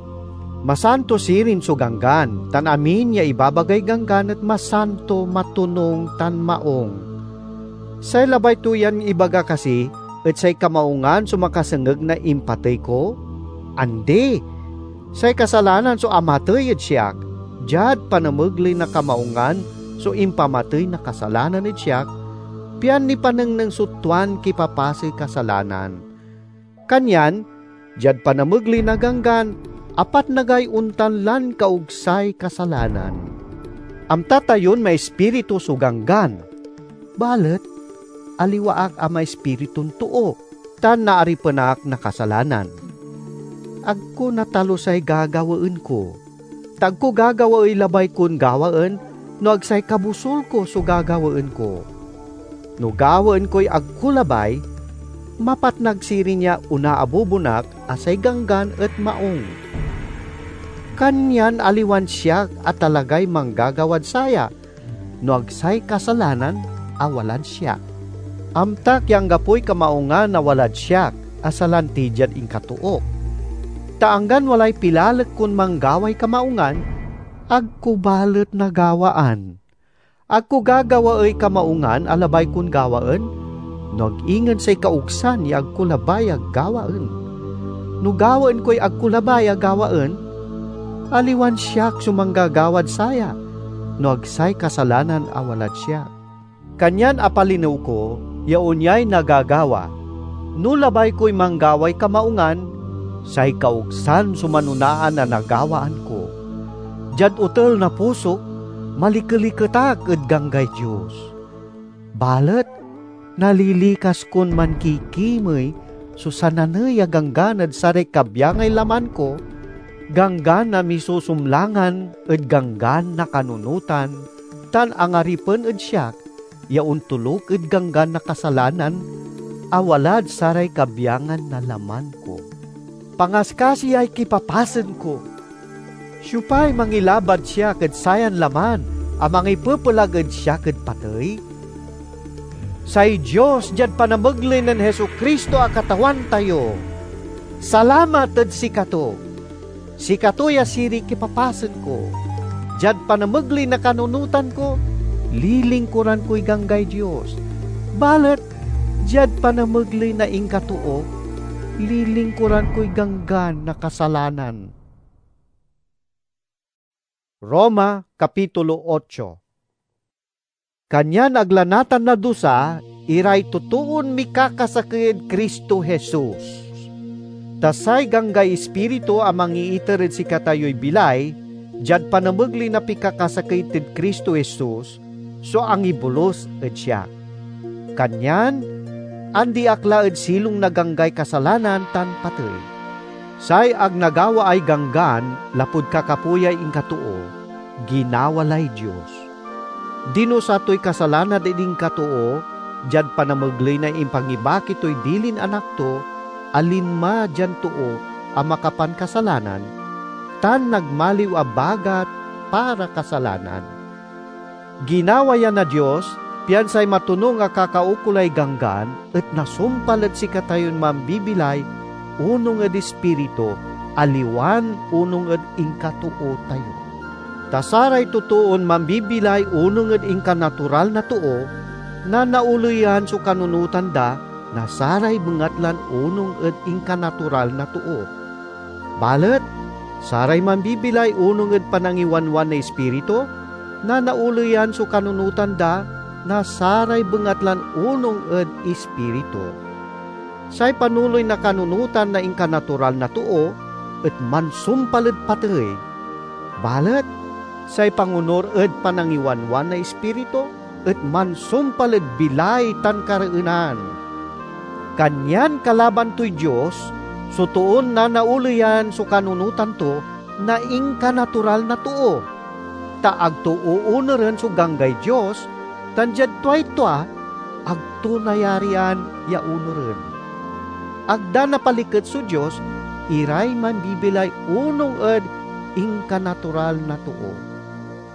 Masanto sirin so Ganggan, tan amin ya ibabagay Ganggan et masanto, matonung, tan maung. Say labay to yan ibaga kasi et say kamaungan so makasengeg na impatey ko? Andi! Say kasalanan so amatey ed siak, diad panamegley na kamaungan so impamatey na kasalanan ed siak, pian nipanengneng so tuan kipapasey kasalanan. Kanyan, diad panamegley na Ganggan, apatnagay ontan lan kaogsay kasalanan. Amta tayon maispiritu so Ganggan, balet aliwa ak a maispiritun too, tan naaripen ak na kasalanan. Ag ko natalusay gagawaen ko, ta ag ko gagawaey labay kon gawaen no ag say kabusol ko so gagawaen ko. No gawaen koy ag ko labay, mapatnag sirin ya onaabubon ak a say Ganggan et maung. Kanyan aliwan siak a talagay manggagawad saya, no ag say kasalanan a walad siak. Amtak ya anggapoy kamaungan a walad siak a salanti diad inkatook. Ta anggan walay pilalek kon manggaway kamaungan, ag ko balet nagawaan. Ag ko gagawaey kamaungan a labay kon gawaen, no ag ingen say kaogsan ya ag ko labay a gawaen. No gawaen koy ag ko labay a gawaen, aliwan siak so manggagawad saya, no ag say kasalanan a walad siak. Kanyan apalinew ko ya onyay nagagawa. No labay koy manggaway kamaungan, say kaogsan so manonaan a nagawaan ko. Diad otel na pusok, malikeliket ak ed ganggay Dios. Balet nalilikas kon mankikimey so sananey a ganggan ed saray kabyangay laman ko, ganggan a misusumlangan ed ganggan na kanunotan, tan angaripen ed siak ya ontoluk ed ganggan na kasalanan a walad saray kabyangan na laman ko. Pangaskasiyay kipapasen ko! Siopay mangilabad siak ed sayan laman a mangipepelag ed siak ed patey? Say Dios diad panamegley nen Jesu-Cristo a Katawan tayo. Salamat ed sikato! Sikato ya sirin kipapasen ko. Diad panamegley na kanunotan ko, lilingkuran koy ganggay Dios. Balet diad panamegley na inkatook, lilingkuran koy ganggan na kasalanan. Roma, Kapitulo ocho. Kanyan ag la natan nadusa iray totoon mikakasakey ed Cristo Jesus. Ta say ganggay Ispiritu a mangiiter ed sikatayoy bilay, diad panamegley na pikakasakey ed Cristo Jesus, so angibolus ed siak. Kanyan andi ak la ed silong na ganggay kasalanan tan patey. Say ag nagawaay ganggan lapud kakapoyay inkatoo, ginawa lay Dios. Dinusa toy kasalanan ed inkatoo diad panamegley na impangibaki toy dilin Anak to a linma dian too a makapankasalanan, tan nagmaliw a bagat para kasalanan. Ginawa ya na Dios, pian say matonung a kakaukolay Ganggan et nasumpal ed sikatayon mambibilay onung ed Ispiritu, aliwan onung ed inkatoo tayo. Ta saray totoon mambibilay onung ed inkanatural na too, nanaoleyan so kanunotan da na saray bengatlan onung ed inkanatural na too. Balet saray mambibilay onung ed panangiwanwan na Ispiritu, nanaoleyan so kanunotan da na saray bengatlan onung ed Ispiritu. Say panoley na kanunotan na inkanatural na too et mansumpal ed patey, balet say pangonur ed panangiwanwan na Ispiritu et mansumpal ed bilay tan kareenan. Kanyan kalaban toy Dios so toon nanaoleyan so kanunotan to na inkanatural na too, ta ag to oonuren so ganggay Dios, tan diad tuay tua, ag to nayarian ya onuren. Ag da napaliket so Dios iray mambibilay onung ed inkanatural na too.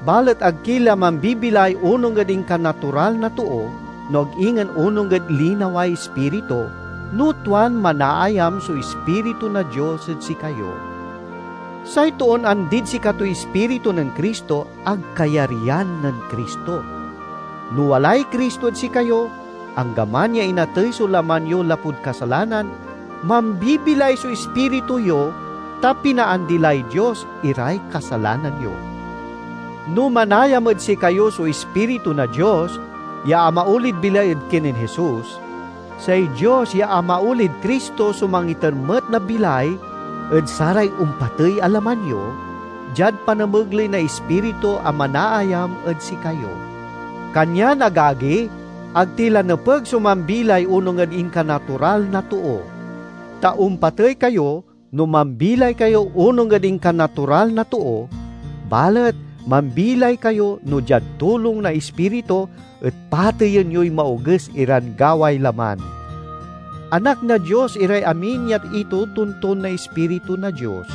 Balet ag ki la mambibilay onung ed inkanatural na too, no ag ingen onung ed linaway Ispiritu, no tuan manaayam so Ispiritu na Dios ed sikayo. Say toon andid sikatoy Ispiritu nen Cristo ag kayaryan nen Cristo. No walay Cristo ed sikayo, anggaman ya inatey so laman yo lapud kasalanan, mambibilay so ispiritu yo, ta pinaandi lay Dios iray kasalanan yo. No manayam ed sikayo so Ispiritu na Dios ya amaolid bilay ed kinen Jesus, say Dios ya amaolid Cristo so mangiter met na bilay ed saray ompatey a laman yo, diad panamegley na Ispiritu a manaayam ed sikayo. Kanyan, agagi, ag ti la nepeg so mambilay onung ed inkanatural na too. Ta ompatey kayo no mambilay kayo onung ed inkanatural na too, balet mambilay kayo no diad tulong na Ispiritu et pateyen yoy maoges iran gaway laman. Anak na Dios iray amin ya itotonton na Ispiritu na Dios,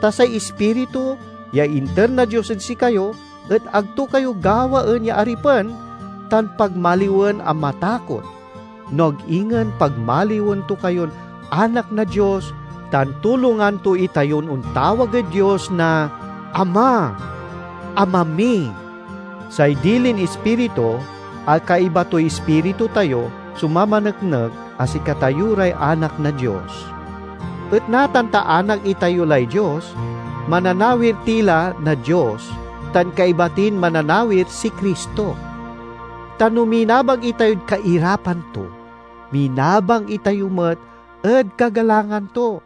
ta say Ispiritu ya inter na Dios ed sikayo et ag to kayo gawaen ya aripen tan pagmaliwen a matakot, no ag ingen pagmaliwen to kayon anak na Dios tan tulongan to itayon ontawag ed Dios na Ama, Ama mi. Say dilin Ispiritu, a kaiba toy ispiritu tayo, so mamaneknek a sikatayo ray anak na Dios. Et natan ta anak itayo lay Dios, mananawir ti la na Dios, tan kaiba tin mananawir si Cristo. Ta no minabang itayod kairapan to, minabang itayo met ed kagalangan to.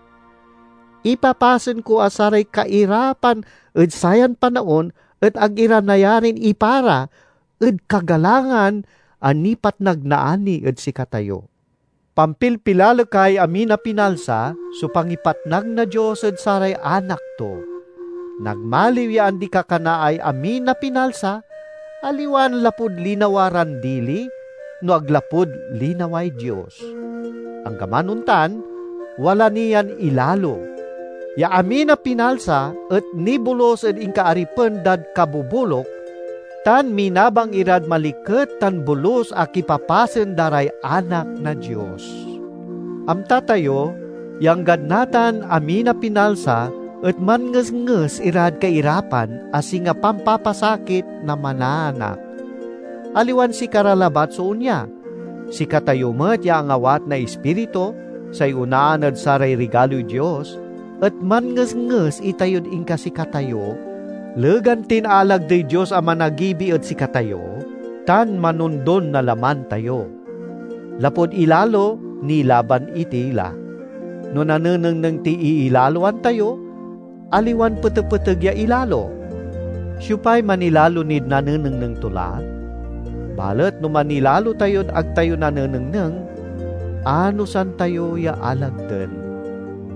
Ipapasen ko a saray kairapan ed sayan panaon et ag ira nayarin ipara ed kagalangan a nipatnag na ani ed sikatayo. Pampilpilalekay amin a pinalsa so pangipatnag na Dios ed saray anak to. Nagmaliw ya andi-kakanaay amin a pinalsa, aliwan lapud linawa ran dili, no ag lapud linaway Dios. Anggaman ontan, wala ni yan ilalo, ya amin a pinalsa et nibolus ed inkaaripen dad kaboboluk, tan minabang irad maliket tan bolus a kipapasen da ray anak na Dios. Amta tayo ya anggad natan amin a pinalsa et manngesnges irad kairapan a singa pampapasakit na manaanak. Aliwan sikara labat so onya. Sikatayo met ya angawat na Ispiritu, say onaan ed saray rigaloy Dios, et manngesnges itayod inkasikatayo, legan tin alagdey Dios a managibi ed sikatayo, tan manondon na laman tayo. Lapud ilalo, nilaban iti la. No nanenengneng ti iilaloan tayo, aliwan petepeteg ya ilalo. Siopay manilalo nid nanenengneng to la? Balet no manilalo tayod ag tayo nanenengneng, anosan tayo ya alagden.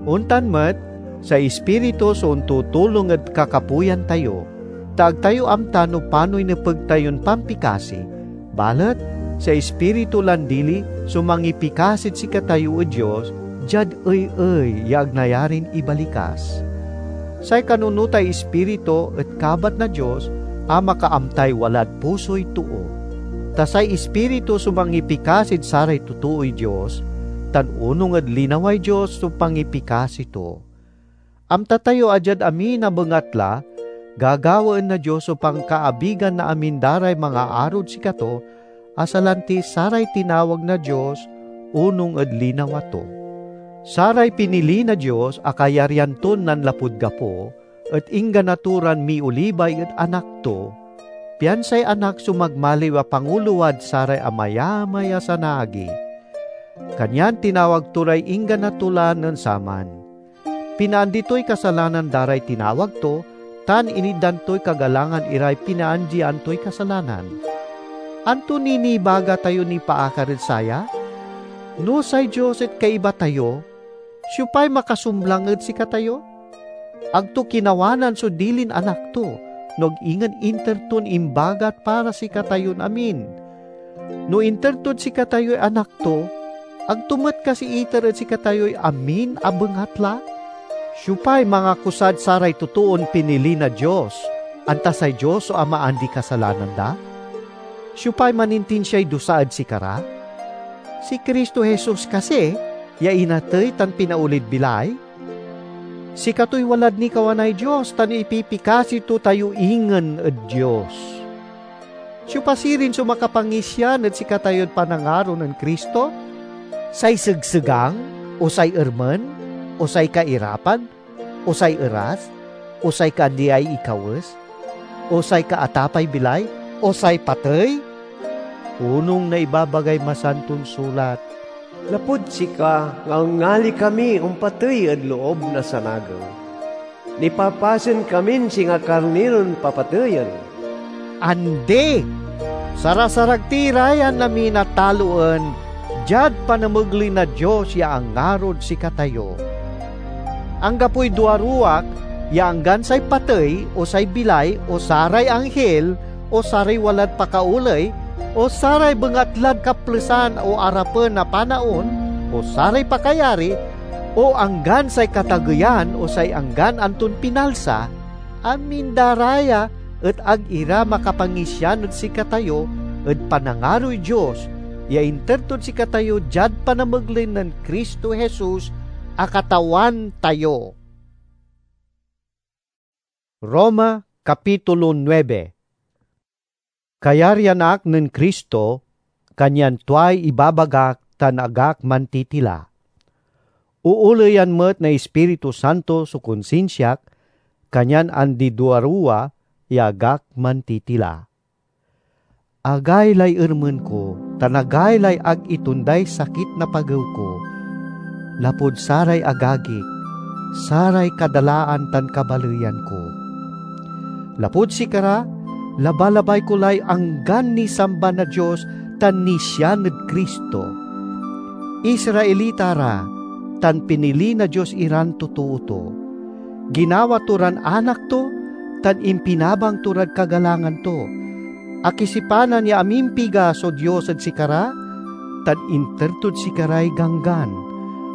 Ontan met, say Ispiritu so ontutulong ed kakapoyan tayo, ta ag tayo amta no panoy nepeg tayon pampikasi, balet say Ispiritu lan dili so mangipikasid sikatayo ed Dios diad ey-ey ya ag nayarin ibalikas. Say kanunotay Ispiritu et kabat na Dios a makaamtay walad pusoy too. Ta say Ispiritu so mangipikasid saray totooy Dios, tan onung ed linaway Dios so pangipikasi to. Amta tayo a diad amin a bengatla, gagawaen na Dios so pankaabigan na amin da ray mangaarod sikato, a salanti saray tinawag na Dios onung ed linawa to. Saray pinili na Dios a kayaryan ton nanlapud gapo et inggana to ran miolibay ed Anak to, pian say Anak so magmaliw a panguload saray amayamay a sanaagi. Kanyan tinawag to ray inggana to la nen saman. Pinaandi toy kasalanan da ray tinawag to, tan initdan toy kagalangan iray pinaandian toy kasalanan. Anto ni nibaga tayo nipaakar ed saya? No say Dios et kaiba tayo, siopay makasumlang ed sikatayo? Ag to kinawanan so dilin Anak to, no ag ingen inter ton imbagat para sikatayon amin. No inter tod sikatayoy Anak to, ag to met kasi iter ed sikatayoy amin a bengatla? Siopay mangakusad saray totoon pinili na Dios, anta say Dios so amaandi kasalanan da? Siopay manintinsiay dusa ed sikara? Si Cristo Jesus kasi, ya inatey tan pinaolid bilay? Sikatoy walad nikawanay Dios tan ipipikasi to tayo ingen ed Dios. Siopa sirin so makapangisian ed sikatayod panangaro nen Cristo? Say segsegang, o say ermen, o say kairapan, o say eras, o say kaandiay ikawes, o say kaatapay bilay, o say patey? Onung na ibabagay Masanton Sulat, "Lapud sika, ngalngali kami ompatey ed loob na sanagew. Nipapasen kamin singa karniron papateyen." Andi! Sarasarag ti ra yan amin a taloen diad panamegley na Dios ya angarod sikatayo. Anggapoy duaruwak ya anggan say patey, o say bilay, o saray anghil, o saray walad pakaoley, o saray bengatlad kaplesan o arapen a panaon, o saray pakayari, o anggan say katageyan, o say anggan anton pinalsa, amin da ra ya et ag ira makapangisian ed sikatayo ed panangaroy Dios ya inter tod sikatayo diad panamegley nen Cristo Jesus a Katawan tayo. Roma, Kapitulo nuebe. Kayaryan ak nen Cristo, kanyan tuay ibabagak tan ag ak mantitila. Ooleyan met na Ispiritu Santo so konsinsiak, kanyan andi duaruwa ya ag ak mantitila. Agaylay ermen ko, tan agaylay ag itonday sakit na pagew ko, lapud saray agagik, saray kadalaan tan kabaleyan ko. Lapud sikara, labalabay ko lay anggan nisamba na Dios tan nisian ed Cristo. Israelita ra, tan pinili na Dios iran totoo to. Ginawa to ran anak to, tan impinabang to rad kagalangan to. Akisipanan ya amimpiga so Dios ed sikara, tan inter tod sikaray ganggan.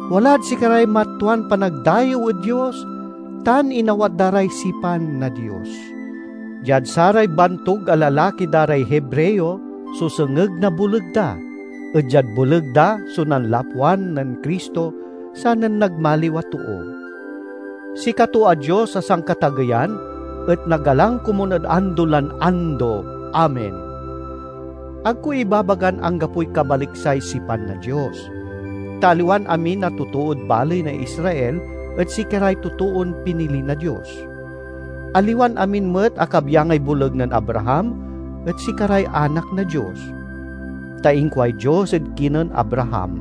Walad sikaray matuan panagdayew ed Dios, tan inawat da ray sipan na Dios. Diad saray bantog a lalaki da ray Hebreo so sengeg na boleg da, et diad boleg da so nanlapwan nen Cristo, sanen nagmaliw a too. Sikato a Dios a sankatageyan et nagalang komun ed ando lan ando. Amen. Ag ko ibabagan anggapoy kabaliksay sipan na Dios. Ta aliwan amin a totood baley na Israel et sikaray totoon pinili na Dios. Aliwan amin met a kabyangay boleg nen Abraham et sikaray anak na Dios. Ta inkuay Dios ed kinen Abraham,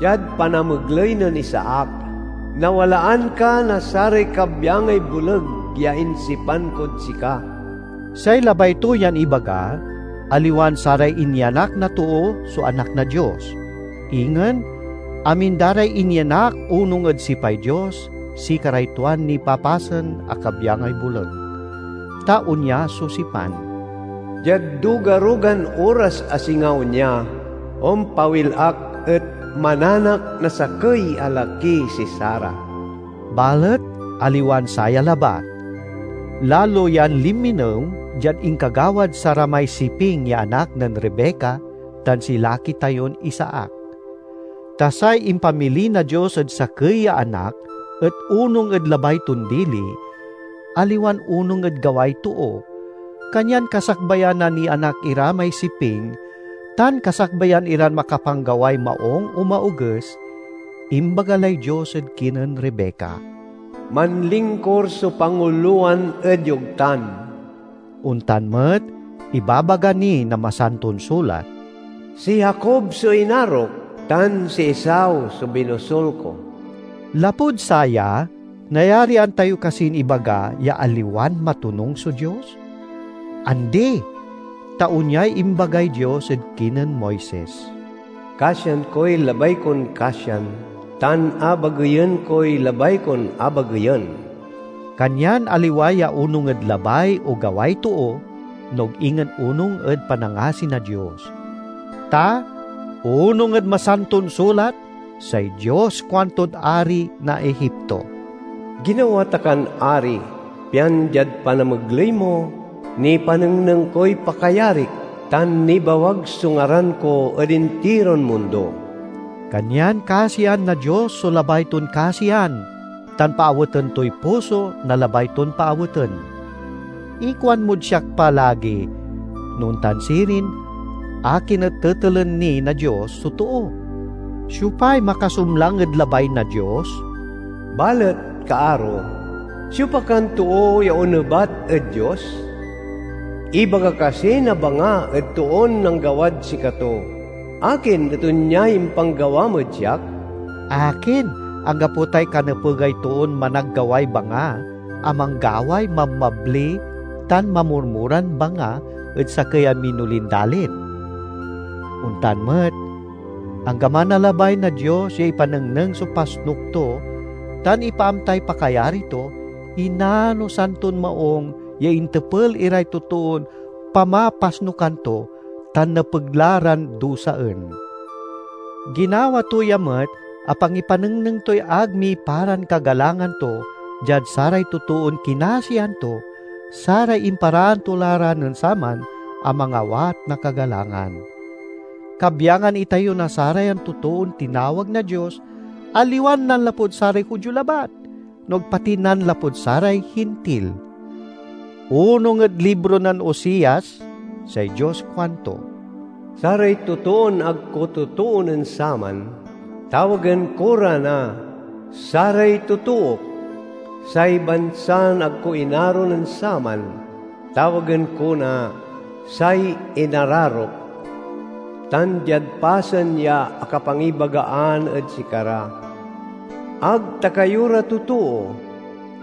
"Diad panamegley nen Isaac, nawalaan ka na saray kabyangay boleg ya insipan kod sika." Say labay to yan ibaga, aliwan saray inyanak na too so anak na Dios. Ingen, amin da ray inyanak onung ed sipay Dios, sikaray tuan nipapasen a kabyangay boleg. Ta onya so sipan, "Diad dugarugan oras a singa onya, ompawil ak et mananak na sakey a laki si Sara." Balet aliwan saya labat. Lalo yan linminew diad inkagawad saramay siping ya anak nen Rebeca tan si laki tayon Isaac. Ta say impamili na Dios ed sakey ya anak et onung ed labay ton dili, aliwan onung ed gaway too, kanyan kasakbayan a nianak ira may siping, tan kasakbayan iran makapanggaway maung o maoges, imbaga lay Dios ed kinen Rebeca, "Manlingkor so pangulowan ed yogtan." Ontan met, ibabaga ni na Masanton Sulat, "Si Jacob so inarok, tan si Esau so binosul ko." Lapud saya, nayarian tayo kasin ibaga ya aliwan matonung so Dios? Andi! Ta onyay imbagay Dios ed kinen Moises, "Kasian koy labay kon kasian, tan abageyen koy labay kon abageyen." Kanyan aliwa ya onung ed labay o gaway too, no ag ingen onung ed panangasi na Dios. Ta onung ed Masanton Sulat, say Dios kuantod ari na Egipto, "Ginawa ta kan ari, pian diad panamegley mo, nipanengneng koy pakayarik, tan nibawag so ngaran ko ed intiron mundo." Kanyan kasian na Dios so labay ton kasian, tan paaweten toy puso na labay ton paaweten. Ikuan mod siak pa lagi, no ontan sirin, akin et tetelen ni na Dios so too? Siopay makasumlang ed labay na Dios? Balet, kaaro, siopa kan too ya onebat ed Dios? Ibaga kasi na banga ed toon nanggawad sikato, "Akin et onyay impanggawam ed siak?" Akin, anggapo tay kanepegay toon managgaway banga a manggaway mabmabli tan mamurmuran banga ed sakey a minolin dalin? Ontan met, anggaman a labay na Dios ya ipanengneng so pasnok to tan ipaamtay pakayari to, inano santon maung ya intepel iray totoon pamapasnokan to tan nepeg la ran dusaen. Ginawa to ya met a pangipanengneng toy ag miparan kagalangan to diad saray totoon kinasian to, saray imparaan to la ra nen saman a mangawat na kagalangan. Kabyangan itayo na sarayan totoon tinawag na Dios, aliwan nanlapud saray Judio labat, no ag pati nanlapud saray Hintil. Onung ed libro nen Oseas, say Dios kuanto, "Saray totoon ag ko totoonen saman, tawagen ko ra na saray totook. Say bansan ag ko inaro nen saman, tawagen ko na say inararok." Tan diad pasen ya akapangibagaan ed sikara, "Ag ta kayo ra totoo,"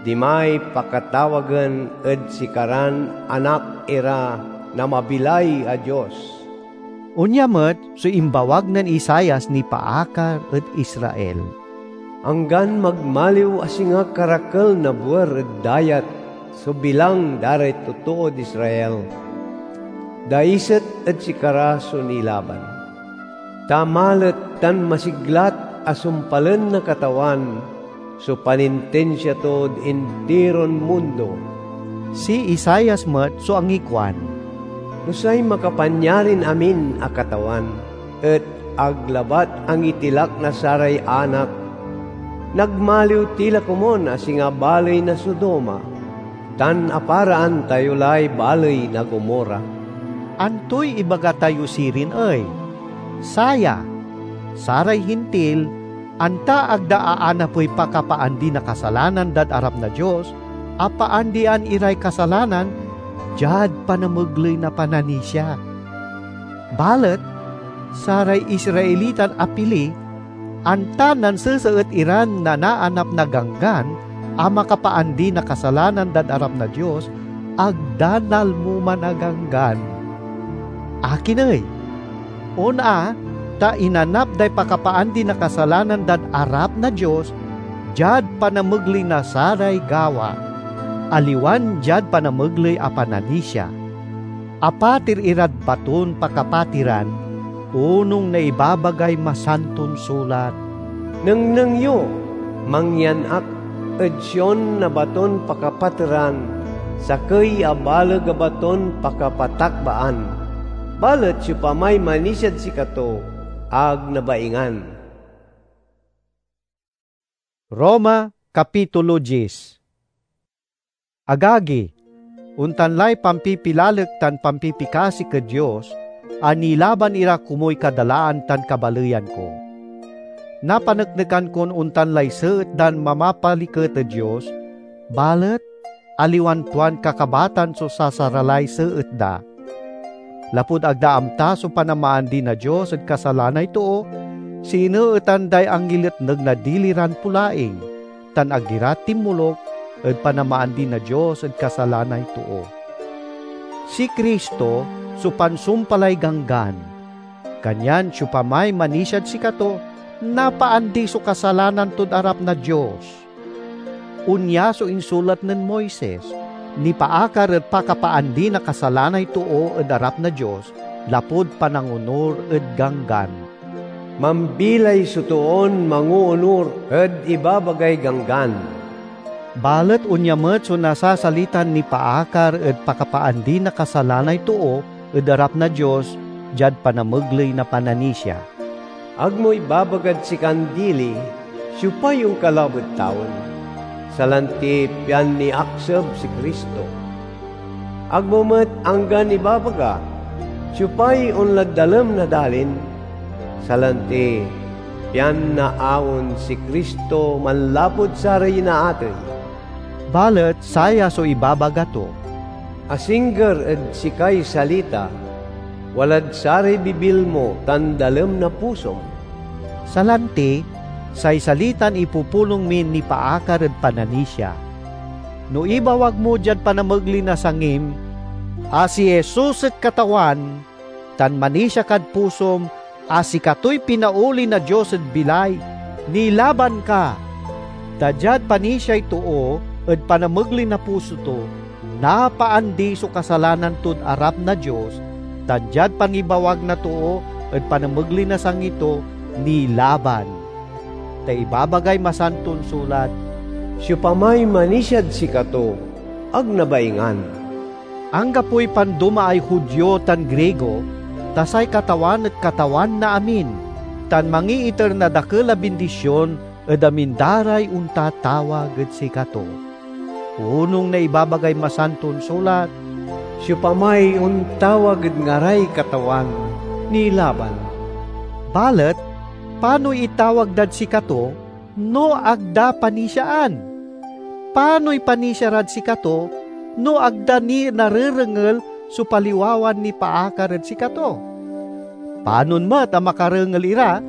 dimay pakatawagen ed sikaran anak ira na mabilay a Dios. Onya met so imbawag nen Isaias nipaakar ed Israel, "Anggan magmaliw a singa karakel na buer ed dayat so bilang da ray totood Israel, daiset ed sikara so nilaban. Ta malet tan masiglat a sumpalen na Katawan so panintinsia tod intiron mundo." Si Isaias met so angikuan, "No say Makapanyarin-amin a Katawan et ag labat angitilak na saray anak, nagmaliw ti la komun a singa baley na Sodoma, tan aparaan tayo lay baley na Gomorra." Antoy ibaga tayo sirin ey? Saya, saray Hintil, anta ag da aanapey pakapaandi na kasalanan dad arap na Dios, a paandian iray kasalanan diad panamegley na pananisia. Balet saray Israelitan apili, anta nanseseet iran nanaanap na Ganggan a makapaandi na kasalanan dad arap na Dios, ag da nalmo man a Ganggan. Akin ey? On a, ta inanap day pakapaandi na kasalanan dad arap na Dios diad panamegley na saray gawa, aliwan diad panamegley a pananisia. Apatir irad baton pakapatiran, onung na ibabagay Masanton Sulat, "Nengneng yo, mangyan ak." Ed Sion na baton pakapateran, sakey a baleg a baton pakapatakbaan. Balet siopamay manisiad sikato, ag nabaingan. Roma, Kapitulo dies. Agagi, ontan lay pampipilalek tan pampipikasik ed Dios a nilaban ira komuy kadalaan tan kabaleyan ko. Napaneknekan kon ontan lay seet dan mamapaliket ed Dios, balet aliwan tuan kakabatan so sasaralay seet da. Lapud ag da amta so panamaandi na Dios ed kasalanay too, sineetan day angiletneg na dili ran pulaing, tan ag ira tinmoluk ed panamaandi na Dios ed kasalanay too. Si Cristo so pansumpalay Ganggan, kanyan siopamay manisiad sikato, napaandi so kasalanan tod arap na Dios. Onya so insulat nen Moises, nipaakar ed pakapaandi na kasalanay too ed arap na Dios lapud panangonur ed Ganggan. Mambilay so toon mangoonur ed ibabagay Ganggan. Balet onya met so nasasalitan nipaakar ed pakapaandi na kasalanay too ed arap na Dios diad panamegley na pananisia. Ag mo ibabagad sikan dili, siopay onkalab ed tawen, salanti pian niakseb si Cristo. Ag mo met anggan ibabaga, siopay onlad dalem na dalin, salanti pian naawen si Cristo manlapud saray inaatey. Balet saya so ibabaga to: asingger ed sikay salita, walad saray bibil mo tan dalem na pusom. Salanti, say salitan ipupulong min nipaakar ed pananisia. No ibawag mo diad panamegley na sangim a si Jesus et Katawan, tan manisia kad pusom a sikatoy pinaoli na Dios ed bilay, nilaban ka. Ta diad panisiay too ed panamegley na puso to, napaandi so kasalanan tod arap na Dios, tan diad pangibawag na too ed panamegley na sangi to, nilaban. Ta ibabagay Masanton Sulat, "Siopamay manisiad sikato, ag nabaingan." Anggapoy pandomaay Judio tan Grigo, ta say Katawan et Katawan na amin, tan mangiiter na dakel a bindision ed amin da ray ontatawag ed sikato. Onung na ibabagay Masanton Sulat, "Siopamay ontawag ed ngaray Katawan, nilaban." Balet panoy itawag dad sikato no ag da panisiaan? Panoy panisia rad sikato no ag da ni narerengel so paliwawan nipaakar ed sikato? Panon met a makarengel ira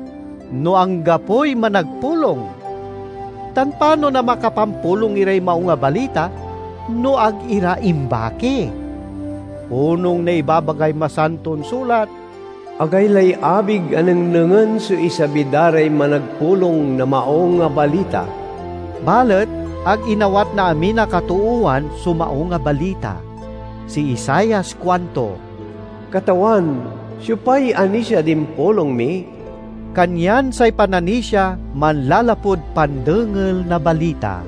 no anggapoy managpulong? Tan panon a makapampulong iray Maung a Balita no ag ira imbaki? Onung na ibabagay Masanton Sulat, "Agaylay abig a nengnengen so isabi da ray managpulong na Maung a Balita." Balet ag inawat na amin a katoowan so Maung a Balita. Si Isaias kuanto, "Katawan, siopay anisiad impulong mi?" Kanyan say pananisia manlalapud pandengel na balita,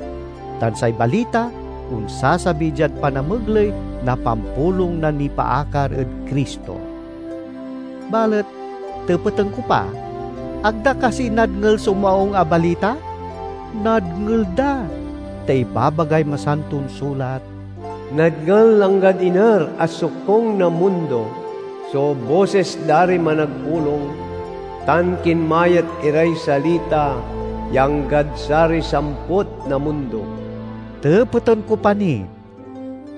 tan say balita onsasabi diad panamegley na pampulong na nipaakar ed Cristo. Balet tepeten ko pa, ag da kasi nadngel so Maung a Balita? Nadngel da, ta ibabagay Masanton Sulat, "Nadngel anggad iner a sokung na mundo so bosis da ray managpulong, tan kinmayat iray salita ya anggad saray samput na mundo." Tepeten ko pa ni,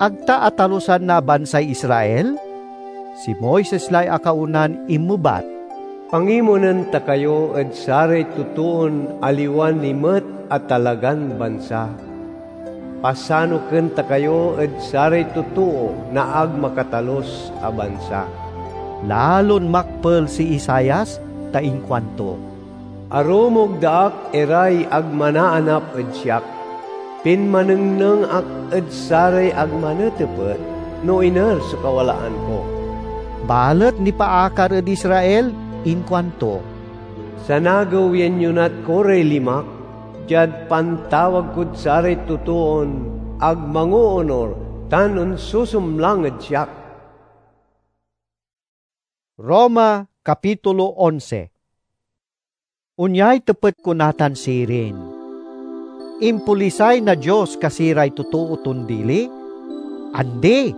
ag ta atalusan na bansay Israel? Si Moises lay akaonan inmebat, "Pangimonen ta kayo ed saray totoon aliwan ni met a talagan bansa. Pasanoken ta kayo ed saray totoo na ag makatalus a bansa." Lalon makpel si Isaias ta inkuanto, "Arumog da ak iray ag manaanap ed siak, pinmanengneng ak ed saray ag manetepet no iner so kawalaan ko." Balet nipaakar ed Israel, inkuanto, "Sanagew yan yonat ko ray limak, diad pantawag kod saray totoon ag mangoonor tan onsusumlang ed siak. Roma, Kapitulo onse. Onyay tepet ko natan sirin: Impolisay na Dios kasi ray totoo ton dili? Andi!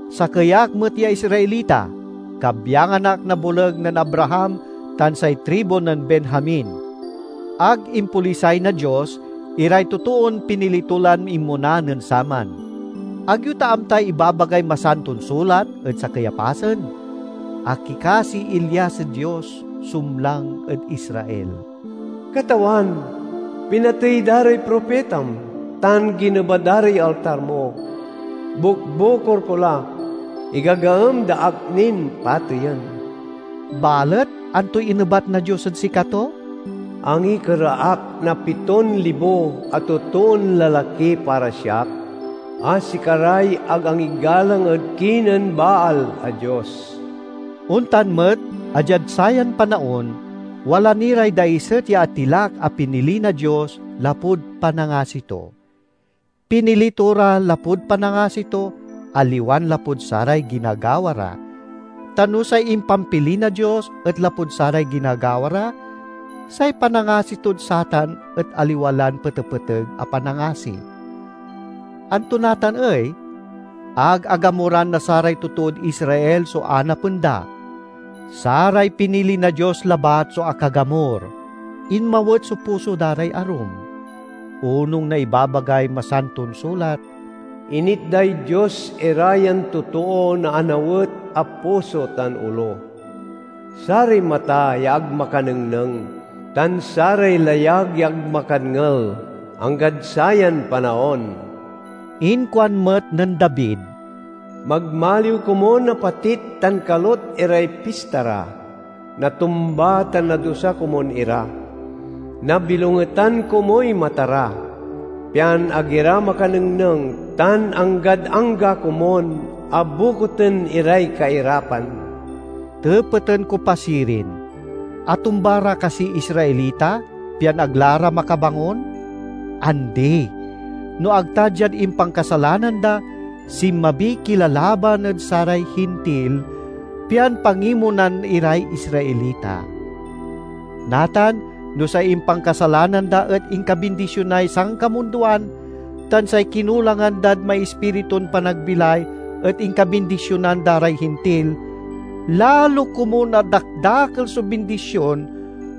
Sakey ak met ya Israelita, kabyangan ak na boleg nen Abraham tan say tribu nen Benjamin. Ag impolisay na Dios iray totoon pinili to lan inmona nen saman. Ag yo ta amtay ibabagay Masanton Sulat ed sakey a pasen? Akikasiy Elias ed Dios, sumlang ed Israel. "Katawan, pinatey da ray propitam, tan gineba da ray altar mo. Bukbukor ko la, igagaem da ak nin pateyen." Balet antoy inebat na Dios ed sikato? "Angikera ak na piton libo a totoon lalaki para siak, a sikaray ag angigalang ed kinen Baal a dios." Ontan met a diad sayan panaon, wala ni ray daiset ya atilak a pinili na Dios lapud panangasi to. Pinili to ra lapud panangasi to, aliwan lapud saray ginagawa ra. Ta no say impampili na Dios et lapud saray ginagawa ra, say panangasi tod satan et aliwa lan petepeteg a panangasi. Anto natan ey? Ag agamoran na saray totod Israel so anapen da. Saray pinili na Dios labat so akagamor. Inmawet so puso da ray arum. Onung na ibabagay Masanton Sulat, "Initday Dios ira yan totoo na anawet a puso tan olo. Saray mata ya ag makanengneng, tan saray layag ya ag makadngel, anggad sayan panaon." Inkuan met nen David, "Magmaliw komon a patit tan kalot iray pista ra. Natumba tan nadusa komon ira. Nabilongetan komoy mata ra, pian ag ira makanengneng, tan anggad angga komon a bukoten iray kairapan." Tepeten ko pa sirin, atumba ra kasiy Israelita, pian ag la ra makabangon? Andi! No ag ta diad impankasalanan da, sinmabiy kilalaban ed saray Hintil, pian pangimonan iray Israelita. Natan, no say impankasalanan da et inkabindisionay sankamundoan, tan say kinulangan dad may Ispiritun panagbilay et inkabindisionan da ray Hintil, lalo komun a dakdakel so bindision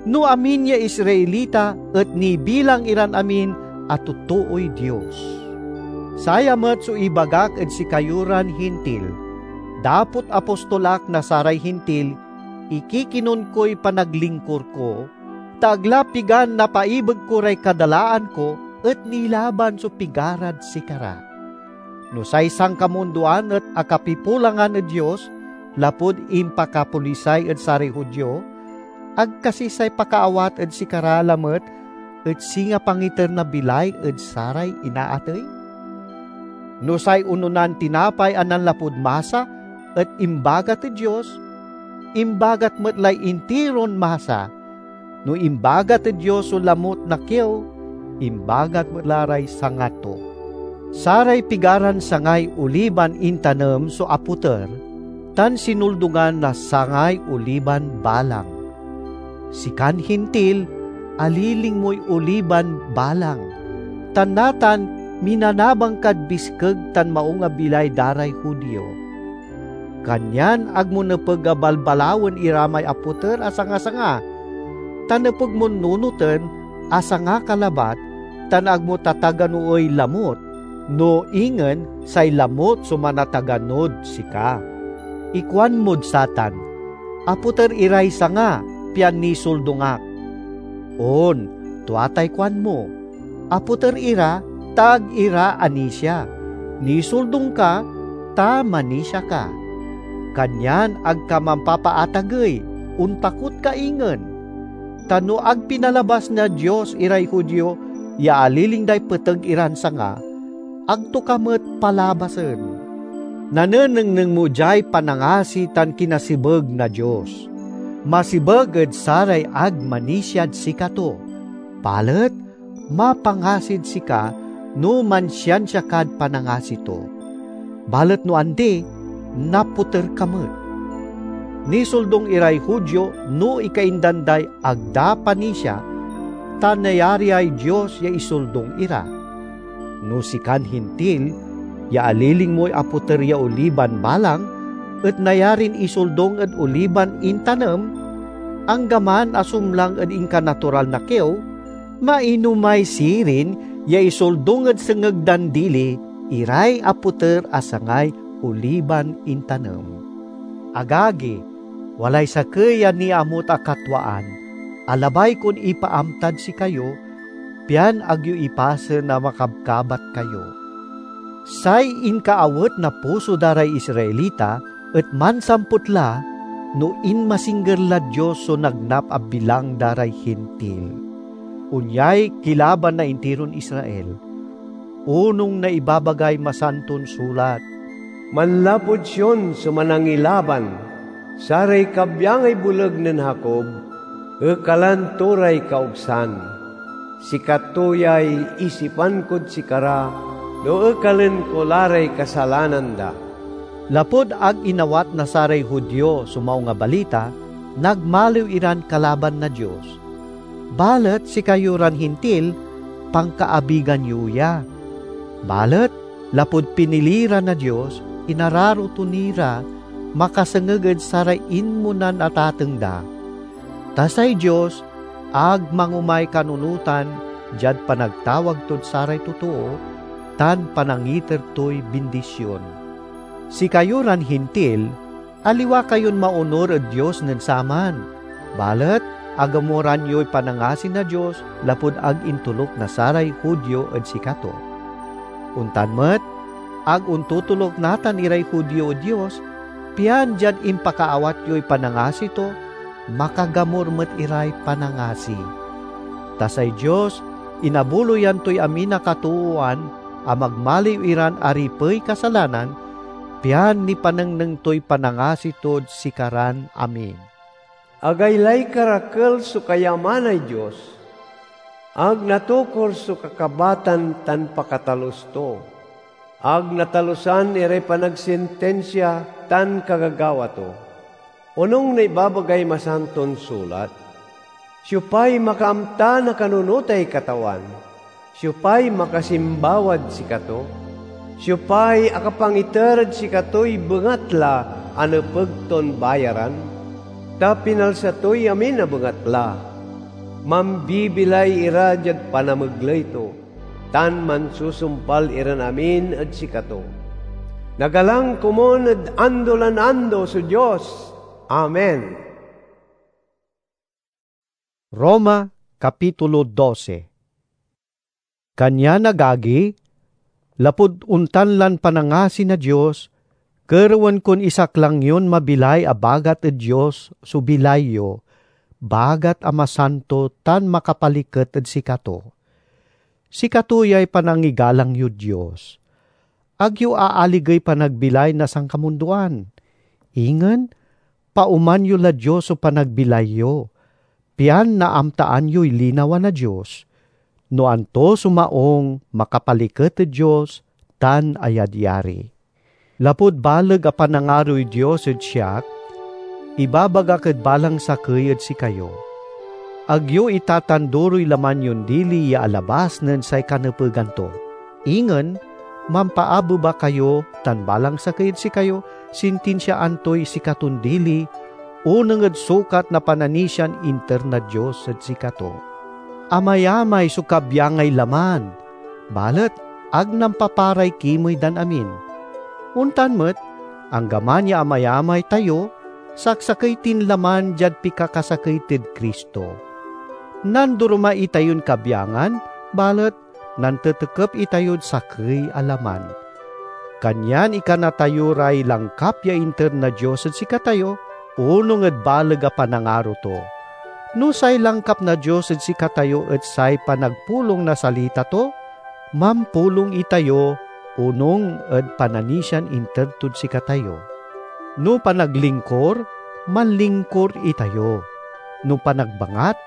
no amin ya Israelita et nibilang iran amin a totooy Dios. Saya met so ibagak ed sikayo ran Hintil: dapot apostol ak na saray Hintil, ikikinon koy panaglingkur ko, ta ag la pigan napaibeg ko ray kadalaan ko et nilaban so pigarad sikara. No say sankamundoan et akapipulangan ed Dios lapud impakapolisay ed saray Judio, ag kasi say pakaawat ed sikara lamet et singa pangiter na bilay ed saray inaatey? No say ononan tinapay a nanlapud masa et imbagat ed Dios, imbagat met lay intiron masa. No imbagat ed Dios so lamut na kiew, imbagat met la ray sanga to. Saray pigaran sangay oliban intanem so apoter, tan sinuldungan na sangay oliban balang. Sikan Hintil, aliling moy oliban balang, tan natan minanabang kad biskeg tan maung a bilay da ray Judio. Kanyan ag mo nepeg a balbalawen ira may apoter a sanga-sanga, ta nepeg mon nunoten a sanga ka labat, tan ag mo tataganoey lamut, no ingen say lamut so manataganod sika. Ikuanmod satan, "Apoter iray sanga, pian nisuldung ak." On, tua tay kuanmo, "Apoter ira, ta ag ira anisia. Nisuldung ka, ta manisia ka." Kanyan ag ka mampapaatagey, ontakot ka ingen. Ta no ag pinalabas na Dios iray Judio ya aliling day peteg iran sanga, ag to ka met palabasen. Nanenengneng mo diay panangasi tan kinasebeg na Dios. Masebeg ed saray ag manisiad sikato. Balet mapangasid sika no mansiansia kad panangasi to. Balet no andi, napoter ka met. Nisoldung iray Judio no ikaindan day ag da panisia, ta nayariay Dios ya isoldung ira. No sikan Hintil ya aliling moy apoter ya oliban balang et nayarin isoldung ed oliban intanem, anggaman a sumlang ed inkanatural na kiew, mainomay sirin ya isoldung ed sengeg dan dili iray apoter a sangay oliban intanem. Agagi, walay sakey a niamut a katwaan a labay kon ipaamtad sikayo, pian ag yo ipasen a makabkabat kayo. Say inkaawet na puso da ray Israelita et mansamput la no inmasingger lad Dios so nagnap a bilang da ray Hintil. Onyay kilaban na intiron Israel, onung na ibabagay Masanton Sulat, "Manlapud Sion so Manangilaban, saray kabyangay boleg nen Jacob, ekalan to ray kaogsan. Sikato yay isipan kod sikara no ekalen ko la ray kasalanan da." Lapud ag inawat na saray Judio so Maung a Balita, nagmaliw iran kalaban na Dios. Balet sikayo ran Hintil, pankaabigan yo ya. Balet lapud pinili ra na Dios, inararo to ni ra makasengeg ed saray inmonan atateng da. Ta say Dios ag mangomay kanunotan diad panagtawag tod saray totoo tan panangiter toy bindision. Sikayo ran Hintil, aliwa kayon maonur ed Dios nen saman, balet agamoran yoy panangasi na Dios lapud ag intoluk na saray Judio ed sikato. Ontan met, ag ontotoluk natan iray Judio ed Dios, pian diad impakaawat yoy panangasi to, makagamur met iray panangasi. Ta say Dios, inabuloyan toy amin a katoowan a magmaliw iran aripey kasalanan, pian nipanengneng toy panangasi tod sikaran amin. Agaylay karakel so kayamanay Dios. Ag natokor so kakabatan tan pakatalus to. Ag natalusan iray panagsintinsia tan kagagawa to. Onung na ibabagay Masanton Sulat, "Siopay makaamta na kanunotay Katawan? Siopay makasimbawad sikato? Siopay akapangiter ed sikatoy bengatla a nepeg ton bayaran?" Ta pinalsa toy amin a bengatla. Mambibilay ira diad panamegley to, tan mansusumpal iran amin ed sikato. Nagalang komun ed ando lan ando so Dios! Amen. Roma, Kapitulo dose. Kanyan, agagi, lapud ontan lan panangasi na Dios, kerewen kon isaklang yon mabilay a bagat ed Dios so bilay yo, bagat a masanto tan makapaliket ed sikato. Sikato yay panangigalang yod Dios. Ag yo aaligey panagbilay na sankamundoan. Ingen, paoman yo lad Dios so panagbilay yo, pian naamtaan yoy linawa na Dios, no anto so maung, makapaliket ed Dios, tan ayadyari. Lapud baleg a panangaroy Dios ed siak, ibabagak ed balang sakey ed sikayo: ag yo itatandoroy laman yon dili ya alabas nen say kanepegan to. Ingen, mampaabeba kayo, tan balang sakey ed sikayo sintinsiaan toy sikaton dili, oneng ed sukat na pananisian inter na Dios ed sikato. Amayamay so kabyangay laman, balet ag nampaparay kimey dan amin. Ontan met, anggaman ya amayamay tayo, saksakey tin laman diad pikakasakey tid Cristo. Nandoroma itayon kabyangan, balet nantetekep itayod sakey a laman. Kanyan ikana tayo ray langkap ya inter na Dios ed sikatayo, onung ed baleg a panangaro to. No say langkap na Dios ed sikatayo et say panagpulong na salita to, mampulong itayo onung ed pananisian inter tod sikatayo. No panaglingkor, manlingkor itayo. No panagbangat,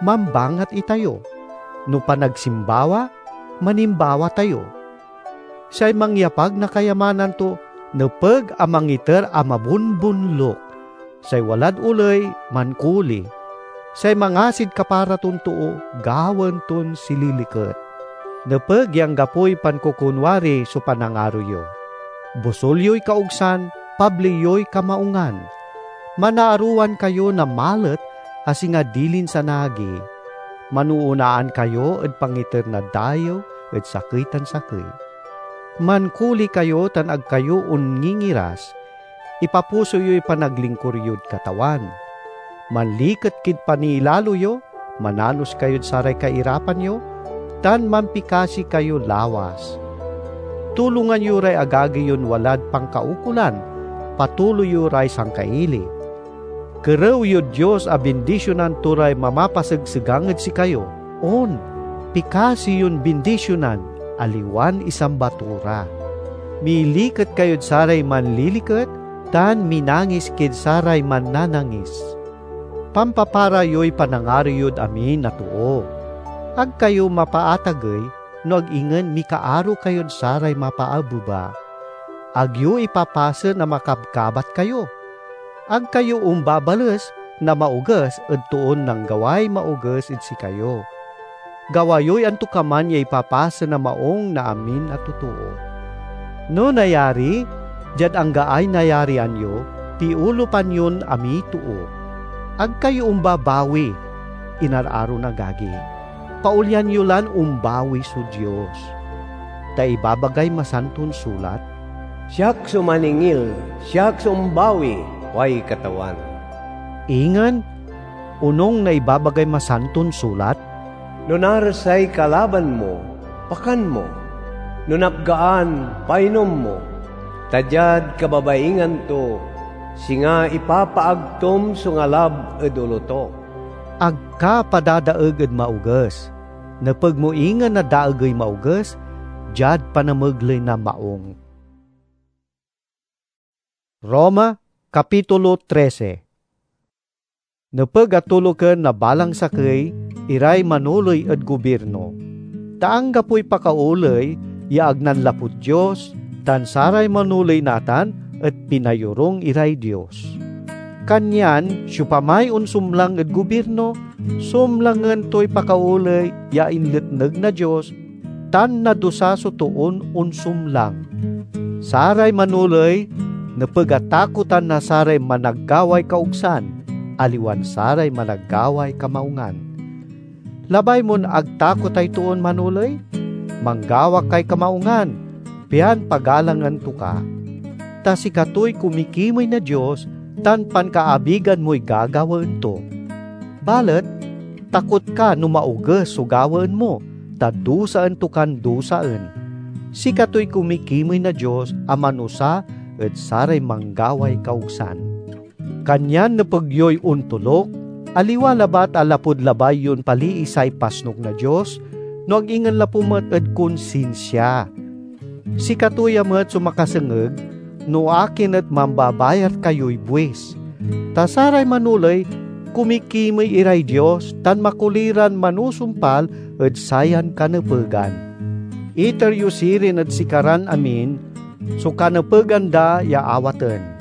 mambangat itayo. no panagsimbawa, manimbawa tayo. Say mangyapag na kayamanan to nepeg a mangiter a mabunbunlok. Say walad oley, mankoli. Say mangasid kapara ton too, gawaen ton sililiket. Nepeg ya anggapoy pankokunwari so panangaro yo. Bosol yoy kaogsan, pabli yoy kamaungan. Manaarowan kayo na malet a singa dilin sanagi. Manoonaan kayo ed pangiter na dayew ed sakey tan sakey. Mankoli kayo tan ag kayo onngingiras. Ipapuso yoy panaglingkur yod Katawan. Manliket kid paniilalo yo, mananos kayod saray kairapan yo, tan mampikasi kayo lawas. Tulongan yo ray agagi yon walad pankaukolan, patuloy yo ray sangkaili. Kerew yod Dios a bindisionan to ray mamapasegsegang ed sikayo. On, pikasi yon bindisionan, aliwan isamba to ra. Miliket kayod saray manliliket, tan minangis kid saray mannanangis. Pampapara yoy panangaro yod amin a too. Ag kayo mapaatagey no ag ingen mikaaro kayod saray mapaabeba. Ag yo ipapasen a makabkabat kayo. Ag kayo ombabales na maoges ed toon nanggaway maoges ed sikayo. Gawa yoy antokaman ya ipapasen a maong na amin a totoo. No nayari, diad anggaay nayarian yo, piolupan yon amiy too. Ag kayo ombabawi, inararo na agagi. Paolyan yo lan ombawi so Dios. Ta ibabagay Masanton Sulat, "Siak so maningil, siak so ombawi," kuay Katawan. Ingen, onung na ibabagay Masanton Sulat, "No naresay kalaban mo, pakan mo. No napgaan, painom mo. Ta diad kababaingan to, singa ipapaagtom so ngalab ed olo to." Ag ka padadaeg ed maoges. Nepeg mo ingen a daegey maoges diad panamegley na maong. Roma, Kapitulo trese. Nepeg a toloken na balang sakey iray manoley ed gobirno, ta anggapoy pakaoley ya ag nanlapud Dios, tan saray manoley natan et pinayorung iray Dios. Kanyan siopamay onsumlang ed gobirno, sumlangen toy pakaoley ya inletneg na Dios, tan nadusa so toon onsumlang. Saray manoley nepeg a takotan na saray managgaway kaogsan, aliwan saray managgaway kamaungan. Labay mon ag takotay toon manoley, manggawa kay kamaungan, pian pagalangan to ka. Ta sikatoy kumikimey na Dios, tan pankaabigan moy gagawaen to. Balet takot ka no maoges so gawaen mo, ta dusaen to kan dusaen. Sikatoy kumikimey na Dios a manusa ed saray manggaway kaogsan. Kanyan nepeg yoy ontoluk, aliwa labat a lapud labay yon palii say pasnok na Dios, no ag ingen lapu met ed konsinsia. Sikato ya met so makasengeg no akin et mambabayar kayoy buis. Ta saray manoley, kumikimey iray Dios tan makoli ran manusumpal ed sayan kanepegan. Iter yo sirin ed sikaran amin so kanepegan da ya awaten.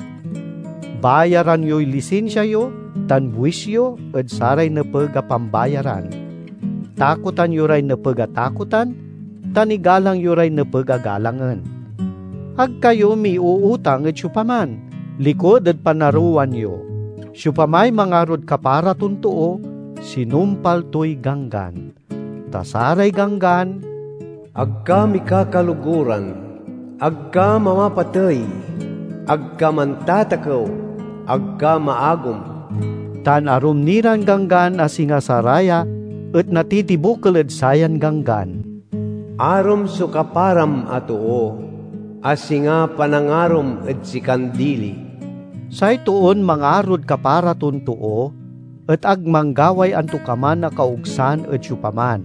Bayaran yoy lisinsia yo tan buis yo ed saray nepeg a pambayaran. Takotan yo ray nepeg a takotan, tan igalang yo ray nepeg a galangen. Ag kayo miuutang ed siopaman, likud ed panarowan yo. Siopamay mangarod kapara ton too, sinumpal toy ganggan. Ta saray ganggan, "Ag ka mikakaloguran, ag ka mamapatey, ag ka mantatakew, ag ka maagom," tan arum ni ran ganggan a singa saraya et natitibokel ed sayan ganggan. Arum so kaparam a too, a singa panangarom ed sikan dili. Say toon mangarod kapara ton too, et ag manggaway antokaman a kaogsan ed siopaman.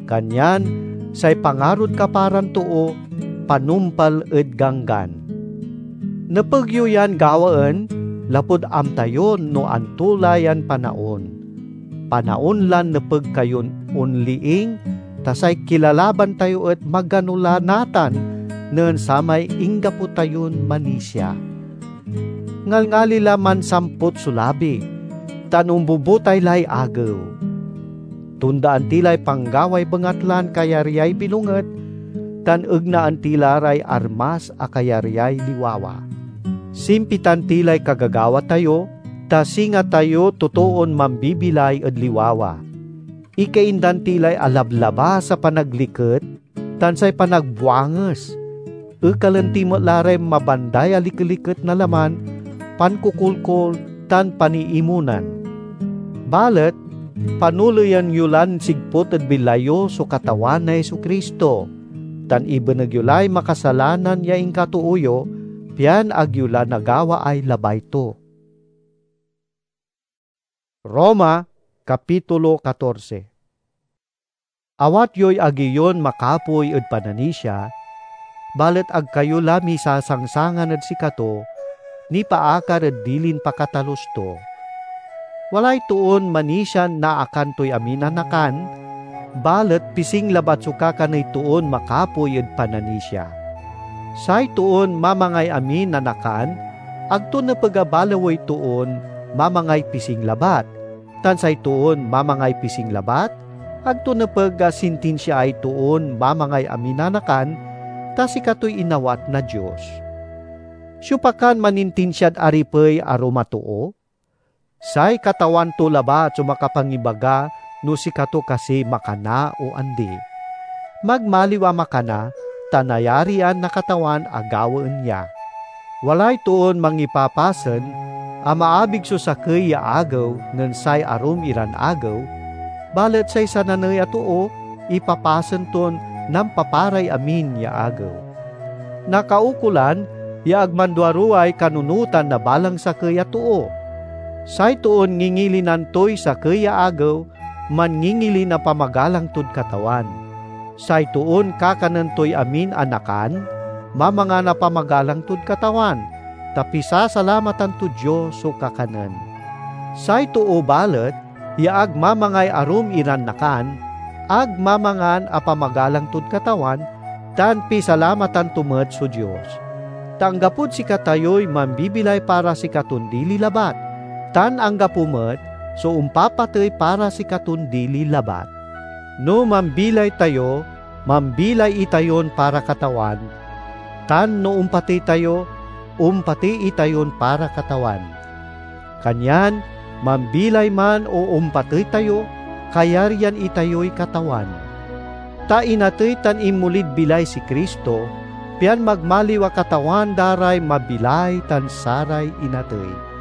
Kanyan say pangarod kaparan too panumpal ed ganggan. Nepeg yo yan gawaen lapud amta yo no anto la yan panaon. Panaon lan nepeg kayon onliing, ta say kilalaban tayo et magano la natan nen samay inggapo tayon manisia. Ngalngali la mansampot so labi, tan ombubutay lay agew. Tondaan ti lay panggaway bengatlan kayaryay bilonget, tan egnaan ti la ray armas a kayaryay liwawa. Simpitan ti lay kagagawa tayo, ta singa tayo totoon mambibilay ed liwawa. Ikaindan ti lay alablabas a panagliket, tan say panagbuanges. Ekalen ti met la ray mabanday a likeliket na laman, pankokolkol, tan paniimonan. Balet panuleyan yo lan sigput ed bilay yo so Katawan a Jesu-Cristo, tan ibeneg yo lay makasalanan ya inkatoo yo, pian ag yo la nagawaay labay to. Roma, Kapitulo katorse. Awat yoy agi yon makapoy ed pananisia, balet ag kayo la misasangsangan ed sikato nipaakar ed dilin pakatalus to. Walay toon manisian naakan toy amin a nakan, balet pising labat so kakaney toon makapoy ed pananisia. Say toon mamangay amin a nakan, ag to nepeg a balawey toon mamangay pising labat, tan say toon mamangay pising labat, ag to nepeg a sintinsiaay toon mamangay amin a nakan, ta sikatoy inawat na Dios. Siopa kan manintinsiad aripey arum a too? Say Katawan to labat so makapangibaga no sikato kasi makana o andi. Magmaliw a makana, ta nayarian na Katawan a gawaen ya. Walay toon mangipapasen a maabig so sakey ya agew nen say arum iran agew, balet say sananey a too ipapasen ton nampaparay amin ya agew. Nakaukolan ya ag manduaruway kanunotan na balang sakey a too. Say toon ngingilinan toy sakey ya agew, mangingili na pamagalang tod Katawan. Say toon kakanen toy amin a nakan, mamangan a pamagalang tod Katawan, ta pisasalamatan tod Dios so kakanen. Say too balet ya ag mamangay arum iran nakan, ag mamangan a pamagalang tod Katawan, tan pisalamatan to met so Dios. Ta anggapod sikatayoy mambibilay para sikaton dili labat, tan anggapo met so ompapatey para sikaton dili labat. No mambilay tayo, mambilay itayon para Katawan, tan no ompatey tayo, ompatey itayon para Katawan. Kanyan, mambilay man o ompatey tayo, kayaryan itayoy Katawan. Ta inatey tan inmolid bilay si Cristo, pian magmaliw a Katawan da ray mabilay tan saray inatey.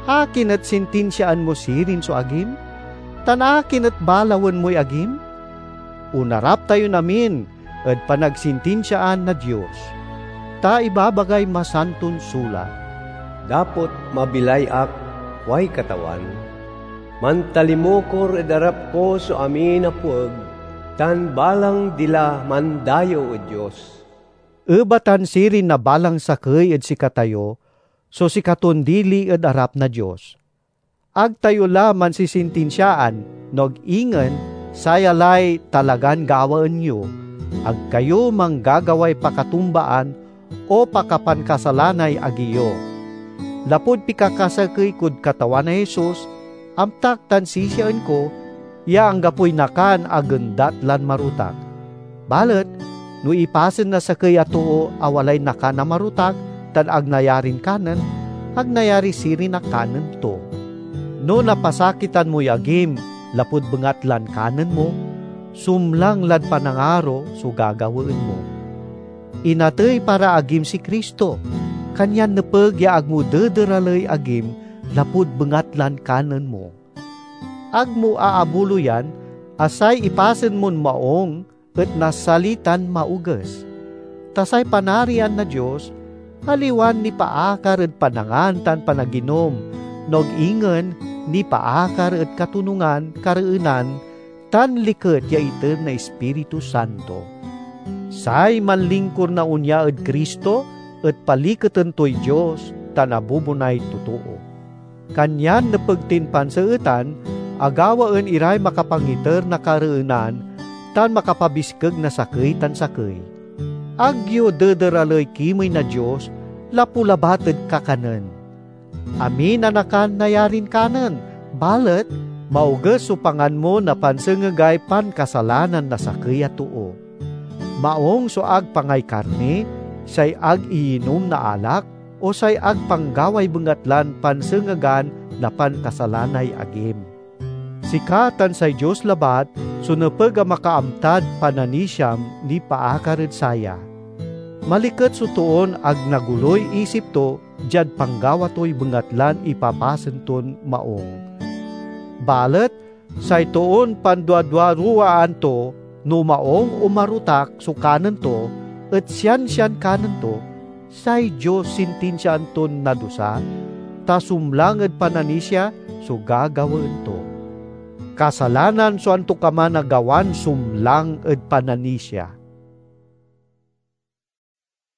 Akin et sintinsiaan mo sirin so agim? Tan akin et balawen moy agim? Onarap tayon amin ed panagsintinsiaan na Dios, ta ibabagay Masanton Sulat, "Dapot mabilay ak," kuay Katawan, "mantalimukor ed arap ko so amin a pueg, tan balang dila mandayew ed Dios." Ebatan sirin na balang sakey ed sikatayo so sikaton dili ed arap na Dios. Ag tayo la mansisintinsiaan, no ag ingen saya lay talagan gawaen yo. Ag kayo manggagaway pakatumbaan o pakapankasalanay agi yo. Lapud pikakasakey kod Katawan a Jesus, amtak tan sisiaen ko ya anggapoy nakan a gendat lan marutak. Balet no ipasen na sakey a too a walay nakan a marutak tan ag nayarin kanen, ag nayari sirin a kanen to. No napasakitan moy agim lapud bengatlan kanen mo, sumlang lad panangaro so gagawaen mo. Inatey para agim si Cristo, kanyan nepeg ya ag mo dederaley agim lapud bengatlan kanen mo. Ag mo aabuloyan a say ipasen mon maung et nasalitan maoges. Ta say Panarian na Dios aliwan nipaakar ed panangan tan panaginom, no ag ingen nipaakar ed katonungan, kareenan, tan liket ya iter na Ispiritu Santo. Say manlingkur na onia ed Cristo et paliketen toy Dios tan abubonay totoo. Kanyan nepeg tin panseetan agawaen iray makapangiter na kareenan tan makapabiskeg na sakey tan sakey. Ag yo dederaley kimey na Dios lapu labat ed kakanen. Amin a nakan nayarin kanen, balet maoges so pangan mo na pansengegay pankasalanan na sakey a too. Maong so ag pangay karni, say ag iyinom na alak, o say ag panggaway bengatlan pansengegan na pankasalanay agim. Sika tan say Dios labat so nepeg a makaamtad pananisiam nipaakar ed saya. Maliket so toon ag naguloy isip to diad panggawa toy bengatlan ipapasen ton maong. Balet say toon panduaduaruwaan to, no maong o marotak so kanen to, et siansian kanen to, say Dios sintinsiaan ton nadusa, ta sumlang ed pananisia so gagawaen to. Kasalanan so antokaman a gawan sumlang ed pananisia.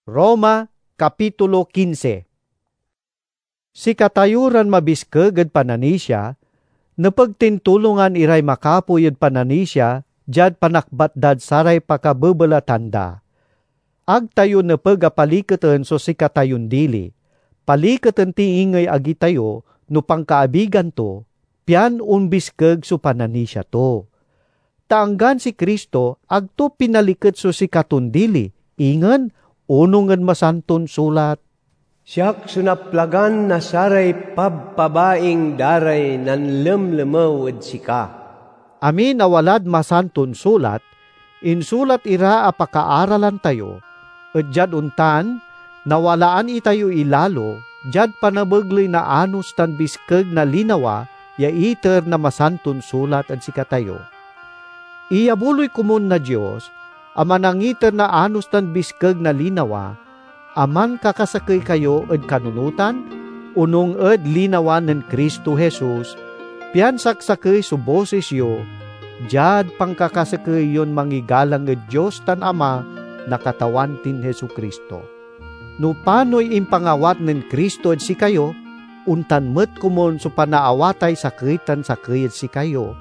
Roma, Kapitulo quince. Sikatayo ran mabiskeg ed pananisia, nepeg tin tulongan iray makapoy ed pananisia diad panakbat dad saray pakabebelatan da. Ag tayo nepeg a paliketen so sikatayon dili. Paliketen ti ingey agi tayo no pankaabigan to, pian ombiskeg so pananisia to. Ta anggan si Cristo, ag to pinaliket so sikaton dili, ingen onung ed Masanton Sulat, "Siak so naplagan na saray pabpabaing da ray nanlemlemew ed sika." Amin a walad Masanton Sulat, insulat ira a pakaaralan tayo, et diad ontan, nawalaan itayo ilalo diad panamegley na anos tan biskeg na linawa ya iter na Masanton Sulat ed sikatayo. Iyabuloy komun na Dios a manangiter na anos tan biskeg na linawa, a mankakasakey kayo ed kanunotan, onung ed linawa nen Cristo Jesus, pian saksakey so bosis yo diad pankakasakey yon mangigalang ed Dios tan Ama na Katawan tin Jesu-Cristo. No panoy impangawat nen Cristo ed sikayo, ontan met komun so panaawatay sakey tan sakey ed sikayo,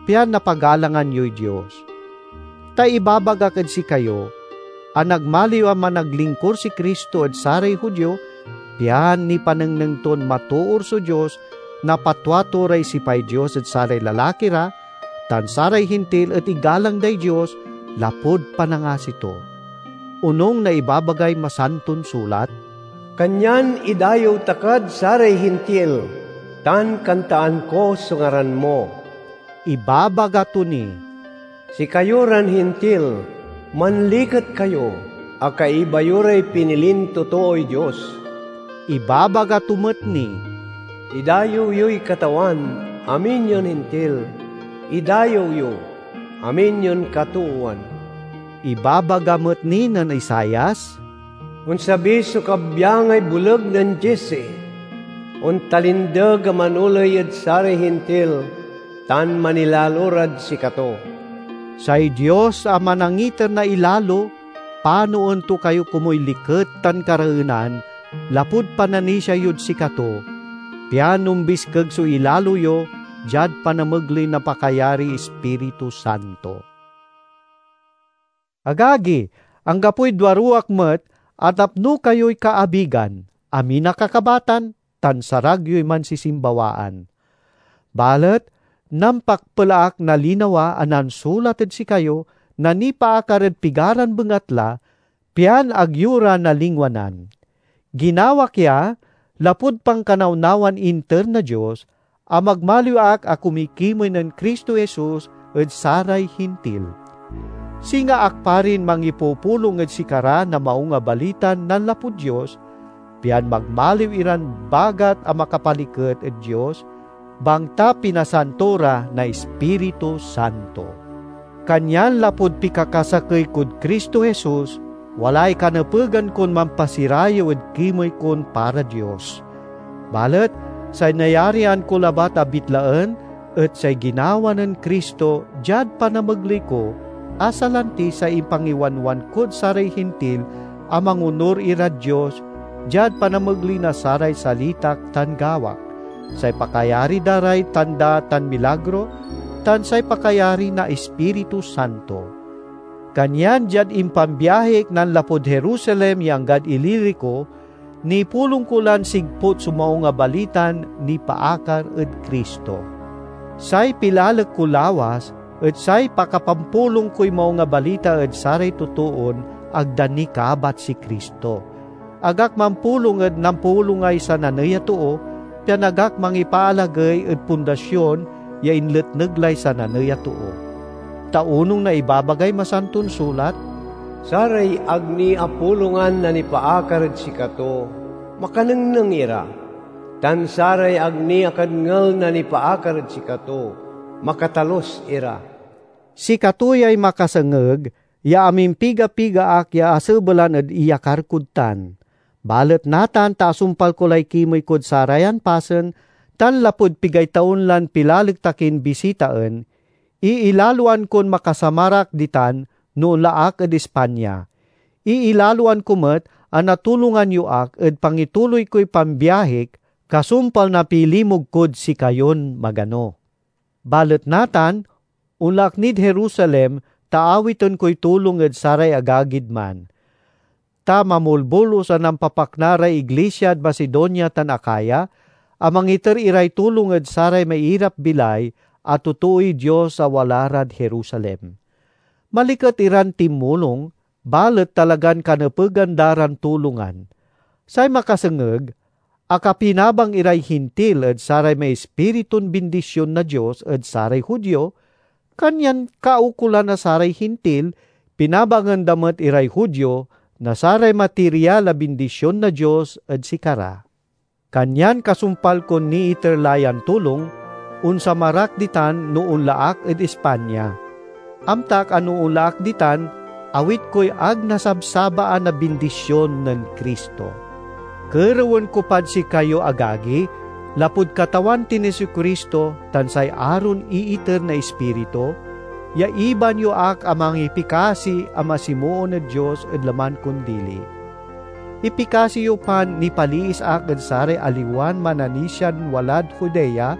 pian napagalangan yoy Dios. Ta ibabagak ed sikayo a nagmaliw a managlingkur si Cristo ed saray Judio, pian nipanengneng ton matoor so Dios, napatua to ray sipay Dios ed saray lalaki ra, tan saray Hintil et igalang day Dios lapud panangasi to. Onung na ibabagay Masanton Sulat, "Kanyan idayew ta kad saray Hintil, tan kantaan ko so ngaran mo." Ibabaga to ni, "Sikayo ran Hintil, manliket kayo, a kaiba yo ray pinilin totooy Dios." Ibabaga to met ni, "Idayew yoy Katawan, amin yon Hintil. Idayew yo, amin yon katoowan." Ibabaga met ni nen Isaias, "Onsabi so kabyangay boleg nen Jesse. Ontalindeg a manoley ed saray Hintil, tan manilalo rad sikato." Say Dios a manangiter na ilalo, panoen to kayo komoy liket tan kareenan lapud pananisia yod sikato, pian ombiskeg so ilalo yo diad panamegley na pakayariy Ispiritu Santo. Agagi, anggapoy duaruwak met a tapno kayoy kaabigan, amin a kakabatan, tan sarag yoy mansisimbawaan. Balet nampakpel ak na linawa a nansulat ed sikayo na nipaakar ed pigaran bengatla, pian ag yo ra nalingwanan. Ginawak ya lapud pankanawnawan inter na Dios, a magmaliw ak a kumikimey nen Cristo Jesus ed saray Hintil. Singa ak parin mangipupulong ed sikara na Maung a Balitan nanlapud Dios, pian magmaliw iran bagat a makapaliket ed Dios, bangta pinasanto ra na Ispiritu Santo. Kanyan lapud pikakasakey kod Cristo Jesus, walay kanepegan kon mampasirayew ed kimey kon para Dios. Balet say nayarian ko labat a bitlaen et say ginawa nen Cristo diad panamegley ko, a salanti say impangiwanwan kod saray Hintil a mangonur irad Dios diad panamegley na saray salitak tan gawak. say pakayari da ray tanda tan milagro, tan say pakayari na Ispiritu Santo. Kanyan diad impambiahik nanlapud Jerusalem ya anggad Ilirico, nipulong ko lan sigput so Maung a Balitan nipaakar ed Cristo. Say pilalek ko lawas et say pakapampulong koy Maung a Balita ed saray totoon ag da nikabat si Cristo. Ag ak mampulong ed nampulongay sananey a too, pian ag ak mangipaalagey ed pundasion ya inletneg lay sananey a too. Ta onung na ibabagay Masanton Sulat, "Saray ag ni apulongan na nipaakar ed sikato, makanengneng ira, tan saray ag ni akadngel na nipaakar ed sikato, makatalus ira." Sikato yay makasengeg ya amimpiga-piga ak ya asebelan ed iyakar kod tan. Balet natan ta asumpal ko lay kimey kod sarayan pasen, tan lapud pigay taon lan pilalek ta kin bisitaen, iilaloan kon makasamar ak ditan no onla ak ed Espanya. Iilaloan ko met a natulongan yo ak ed pangituloy koy pambiahik kasumpal na pilimug kod sikayon magano. Balet natan, onla ak nid Jerusalem ta awiten koy tulong ed saray agagid man. Ta mamolbolos a nampapakna ray iglisiad Macedonia tan Acaya, a mangiter iray tulong ed saray mairap-bilay a totooy Dios a wala rad Jerusalem. Maliket iran tinmulong, balet talagan kanepegan da ran tulongan. Say makasengeg, akapinabang iray Hintil ed saray maispiritun bindision na Dios ed saray Judio, kanyan kaukolan na saray Hintil, pinabangen da met iray Judio na saray material a bindision na Dios ed sikara. Kanyan kasumpal kon niiter la yan tulong, onsamar ak ditan no onla ak ed Espanya. Amtak a no onla ak ditan, awit koy ag nasabsabaan a bindision nen Cristo. Kerewen ko pad sikayo, agagi, lapud Katawan tin Jesu-Cristo tan say aron iiter na Ispiritu, ya iban yo ak a mangipikasi a masimoon ed Dios ed laman kon dili. Ipikasi yo pan nipaliis ak ed saray aliwan mananisian walad Judea,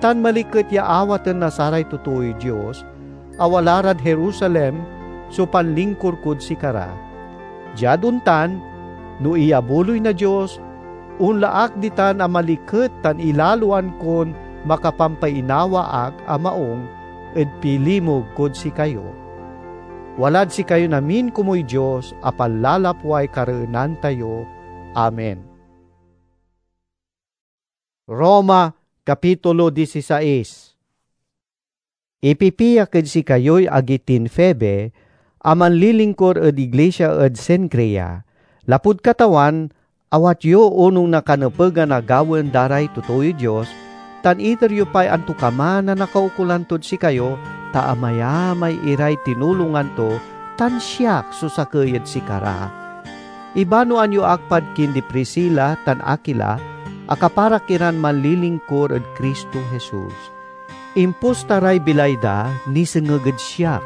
tan maliket ya awaten na saray totooy Dios a wala rad Jerusalem so panlingkur kod sikara. Diad ontan, no iyabuloy na Dios, onla ak ditan a maliket tan ilaloan kon makapampainawa ak a maung ed pilimug kod sikayo. Walad sikayon amin komuy Dios a panlalapway kareenan tayo. Amen. Roma, Kapitulo disisais. Ipipiak ed sikayoy agi tin Febe a manlilingkur ed iglisia ed Cencrea. Lapud Katawan, awat yo onung na kanepegan a gawaen da ray totooy Dios, tan iter yo pay antokaman a nakaukolan tod sikayo, ta amayamay iray tinulongan to, tan siak so sakey ed sikara. Ibanoan yo ak pad kindi Priscila tan Aquila, a kaparak iran manlilingkur ed Cristo Jesus. Imposta ray bilay da nisengeg ed siak,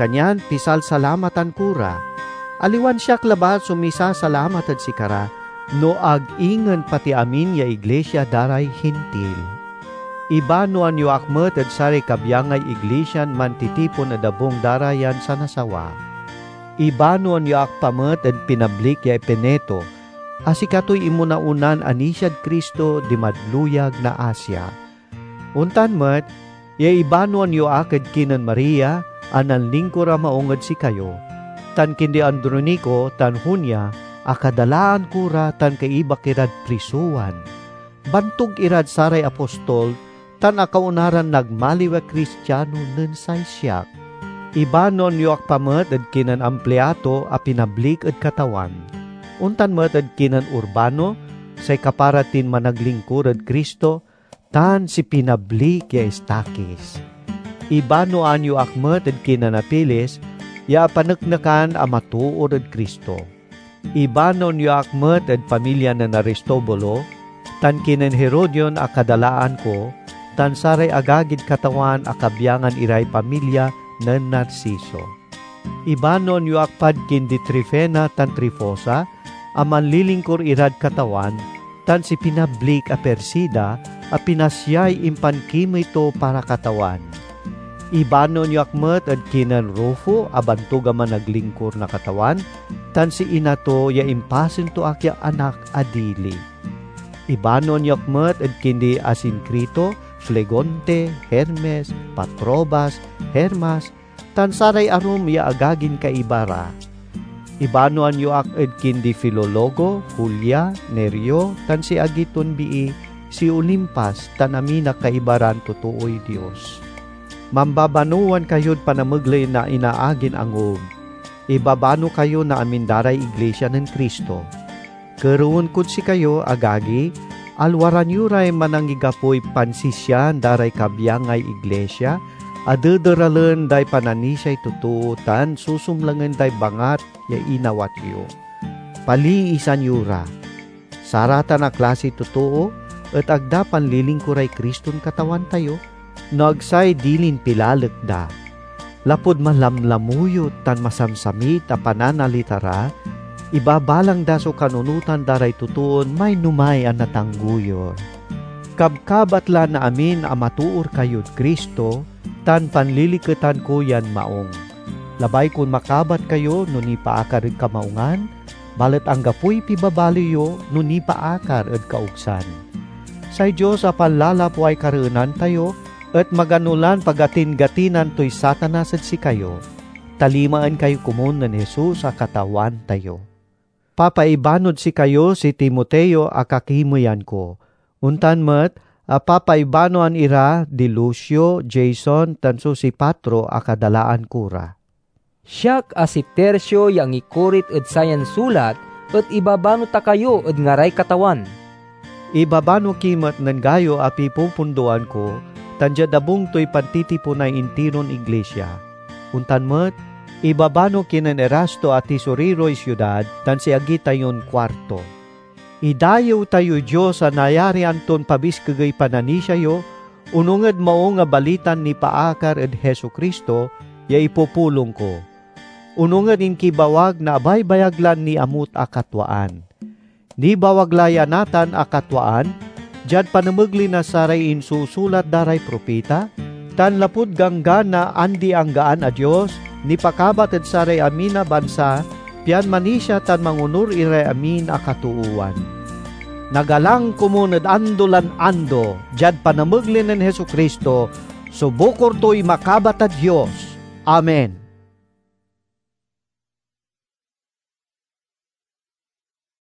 kanyan pisalsalamatan ko ra. Aliwan siak labat so misasalamat ed sikara, no ag ingen pati amin ya iglisia da ray Hintil. Ibanoan yo ak met ed saray kabyangay iglisian mantitipon ed abung da ra yan sanasawa. Ibanoan yo ak pa met ed pinablik ya Epeneto, a sikatoy inmona-onan anisiad Cristo dimad luyag na Asia. Ontan met ya ibanoan yo ak ed kinen Maria a nanlingkur a maung ed sikayo, tan kindi Andronico tan Junia a kadalaan ko ra tan kaibak irad prisowan. Bantog irad saray apostol tan akauna ran nagmaliw a Cristiano nen say siak. Ibanoan yo ak pa met ed kinen Ampliato a pinablik ed Katawan, ontan met ed kinen Urbano, say kapara tin managlingkur ed Cristo, tan si pinablik ya Estaquis. Ibanoan yo ak met ed kinen Apeles ya apaneknekan a matoor ed Cristo. Ibanoan yo ak met ed pamilya nen Aristobulo, tan kinen Herodion a kadalaan ko, tan saray agagid Katawan a kabyangan iray pamilya nen Narciso. Ibanoan yo ak pad kindi Trifena tan Trifosa a manlilingkur irad Katawan, tan si pinablik a Persida a pinasiay impankimey to para Katawan. Ibanoen yo ak met ed kinen Rufo a bantug a managlingkur na Katawan, tan si ina to ya impasen to ak ya anak a dili. Ibanoen yo ak met ed kindi Asincrito, Flegonte, Hermes, Patrobas, Hermas, tan saray arum ya agagin kaiba ra. Ibanoan yo ak ed kindi Filologo, Julia, Nereo, tan si agi ton bii, si Olimpas, tan amin a kaiba ran totooy Dios. Mambabanowan kayod panamegley na inaagin angub. Ibabano kayo na amin da ray iglisia nen Cristo. Kerewen kod sikayo, agagi, alwaran yo ray manangigapoy pansisian da ray kabyangay iglisia a dederalen day pananisiay totoo tan susumlangen day bangat ya inawat yo. Paliisan yo ra. Saratan a klasiy totoo et ag da panlilingkuray Criston Katawan tayo, no ag say dilin pilalek da. Lapud malamlamuyot tan masamsamit a pananalita ra, ibabalang da so kanunotan da ray totoon mainomay a natanggoyur. Kabkabat la na amin a matoor kayod Cristo, tan panliliketan ko yan maong. Labay kon makabat kayo no nipaakar ed kamaungan, balet anggapoy pibabali yo no nipaakar ed kaogsan. Say Dios a panlalapuay kareenan tayo et magano lan pagatingatinan toy Satanas ed sikayo, ta limaen kayo komun nen Jesus a Katawan tayo. Papaibanod sikayo si Timoteo a kakimeyan ko. Ontan met a papaibanoan ira di Lucio, Jason, tan so si Patro a kadalaan ko ra. Siak a si Tercio ya angikorit ed sayan sulat et ibabano ta kayo ed ngaray Katawan. Ibabano ki met nen Gayo a pipopondoan ko, tan diad abung toy pantitiponay intiron iglisia. Ontan met, ibabano ki nen Erasto a tisoriroy siudad, tan si agi tayon Cuarto. Idayew tayoy Dios a nayarian ton pabiskegey pananisia yo, onung ed Maung a Balitan nipaakar ed Jesu-Cristo ya ipupulong ko. Onung ed inkibawag na abaybayag lan niamut a katwaan. Nibawag la ya natan a katwaan, diad panamegley na saray insusulat da ray propita, tan lapud Ganggan na andi-anggaan a Dios, nipakabat ed saray amin a bansa, pian manisia tan mangonur iray amin a katoowan. Nagalang komun ed ando lan ando, diad panamegley nen Jesu-Cristo, so bukor toy makabat a Dios. Amen.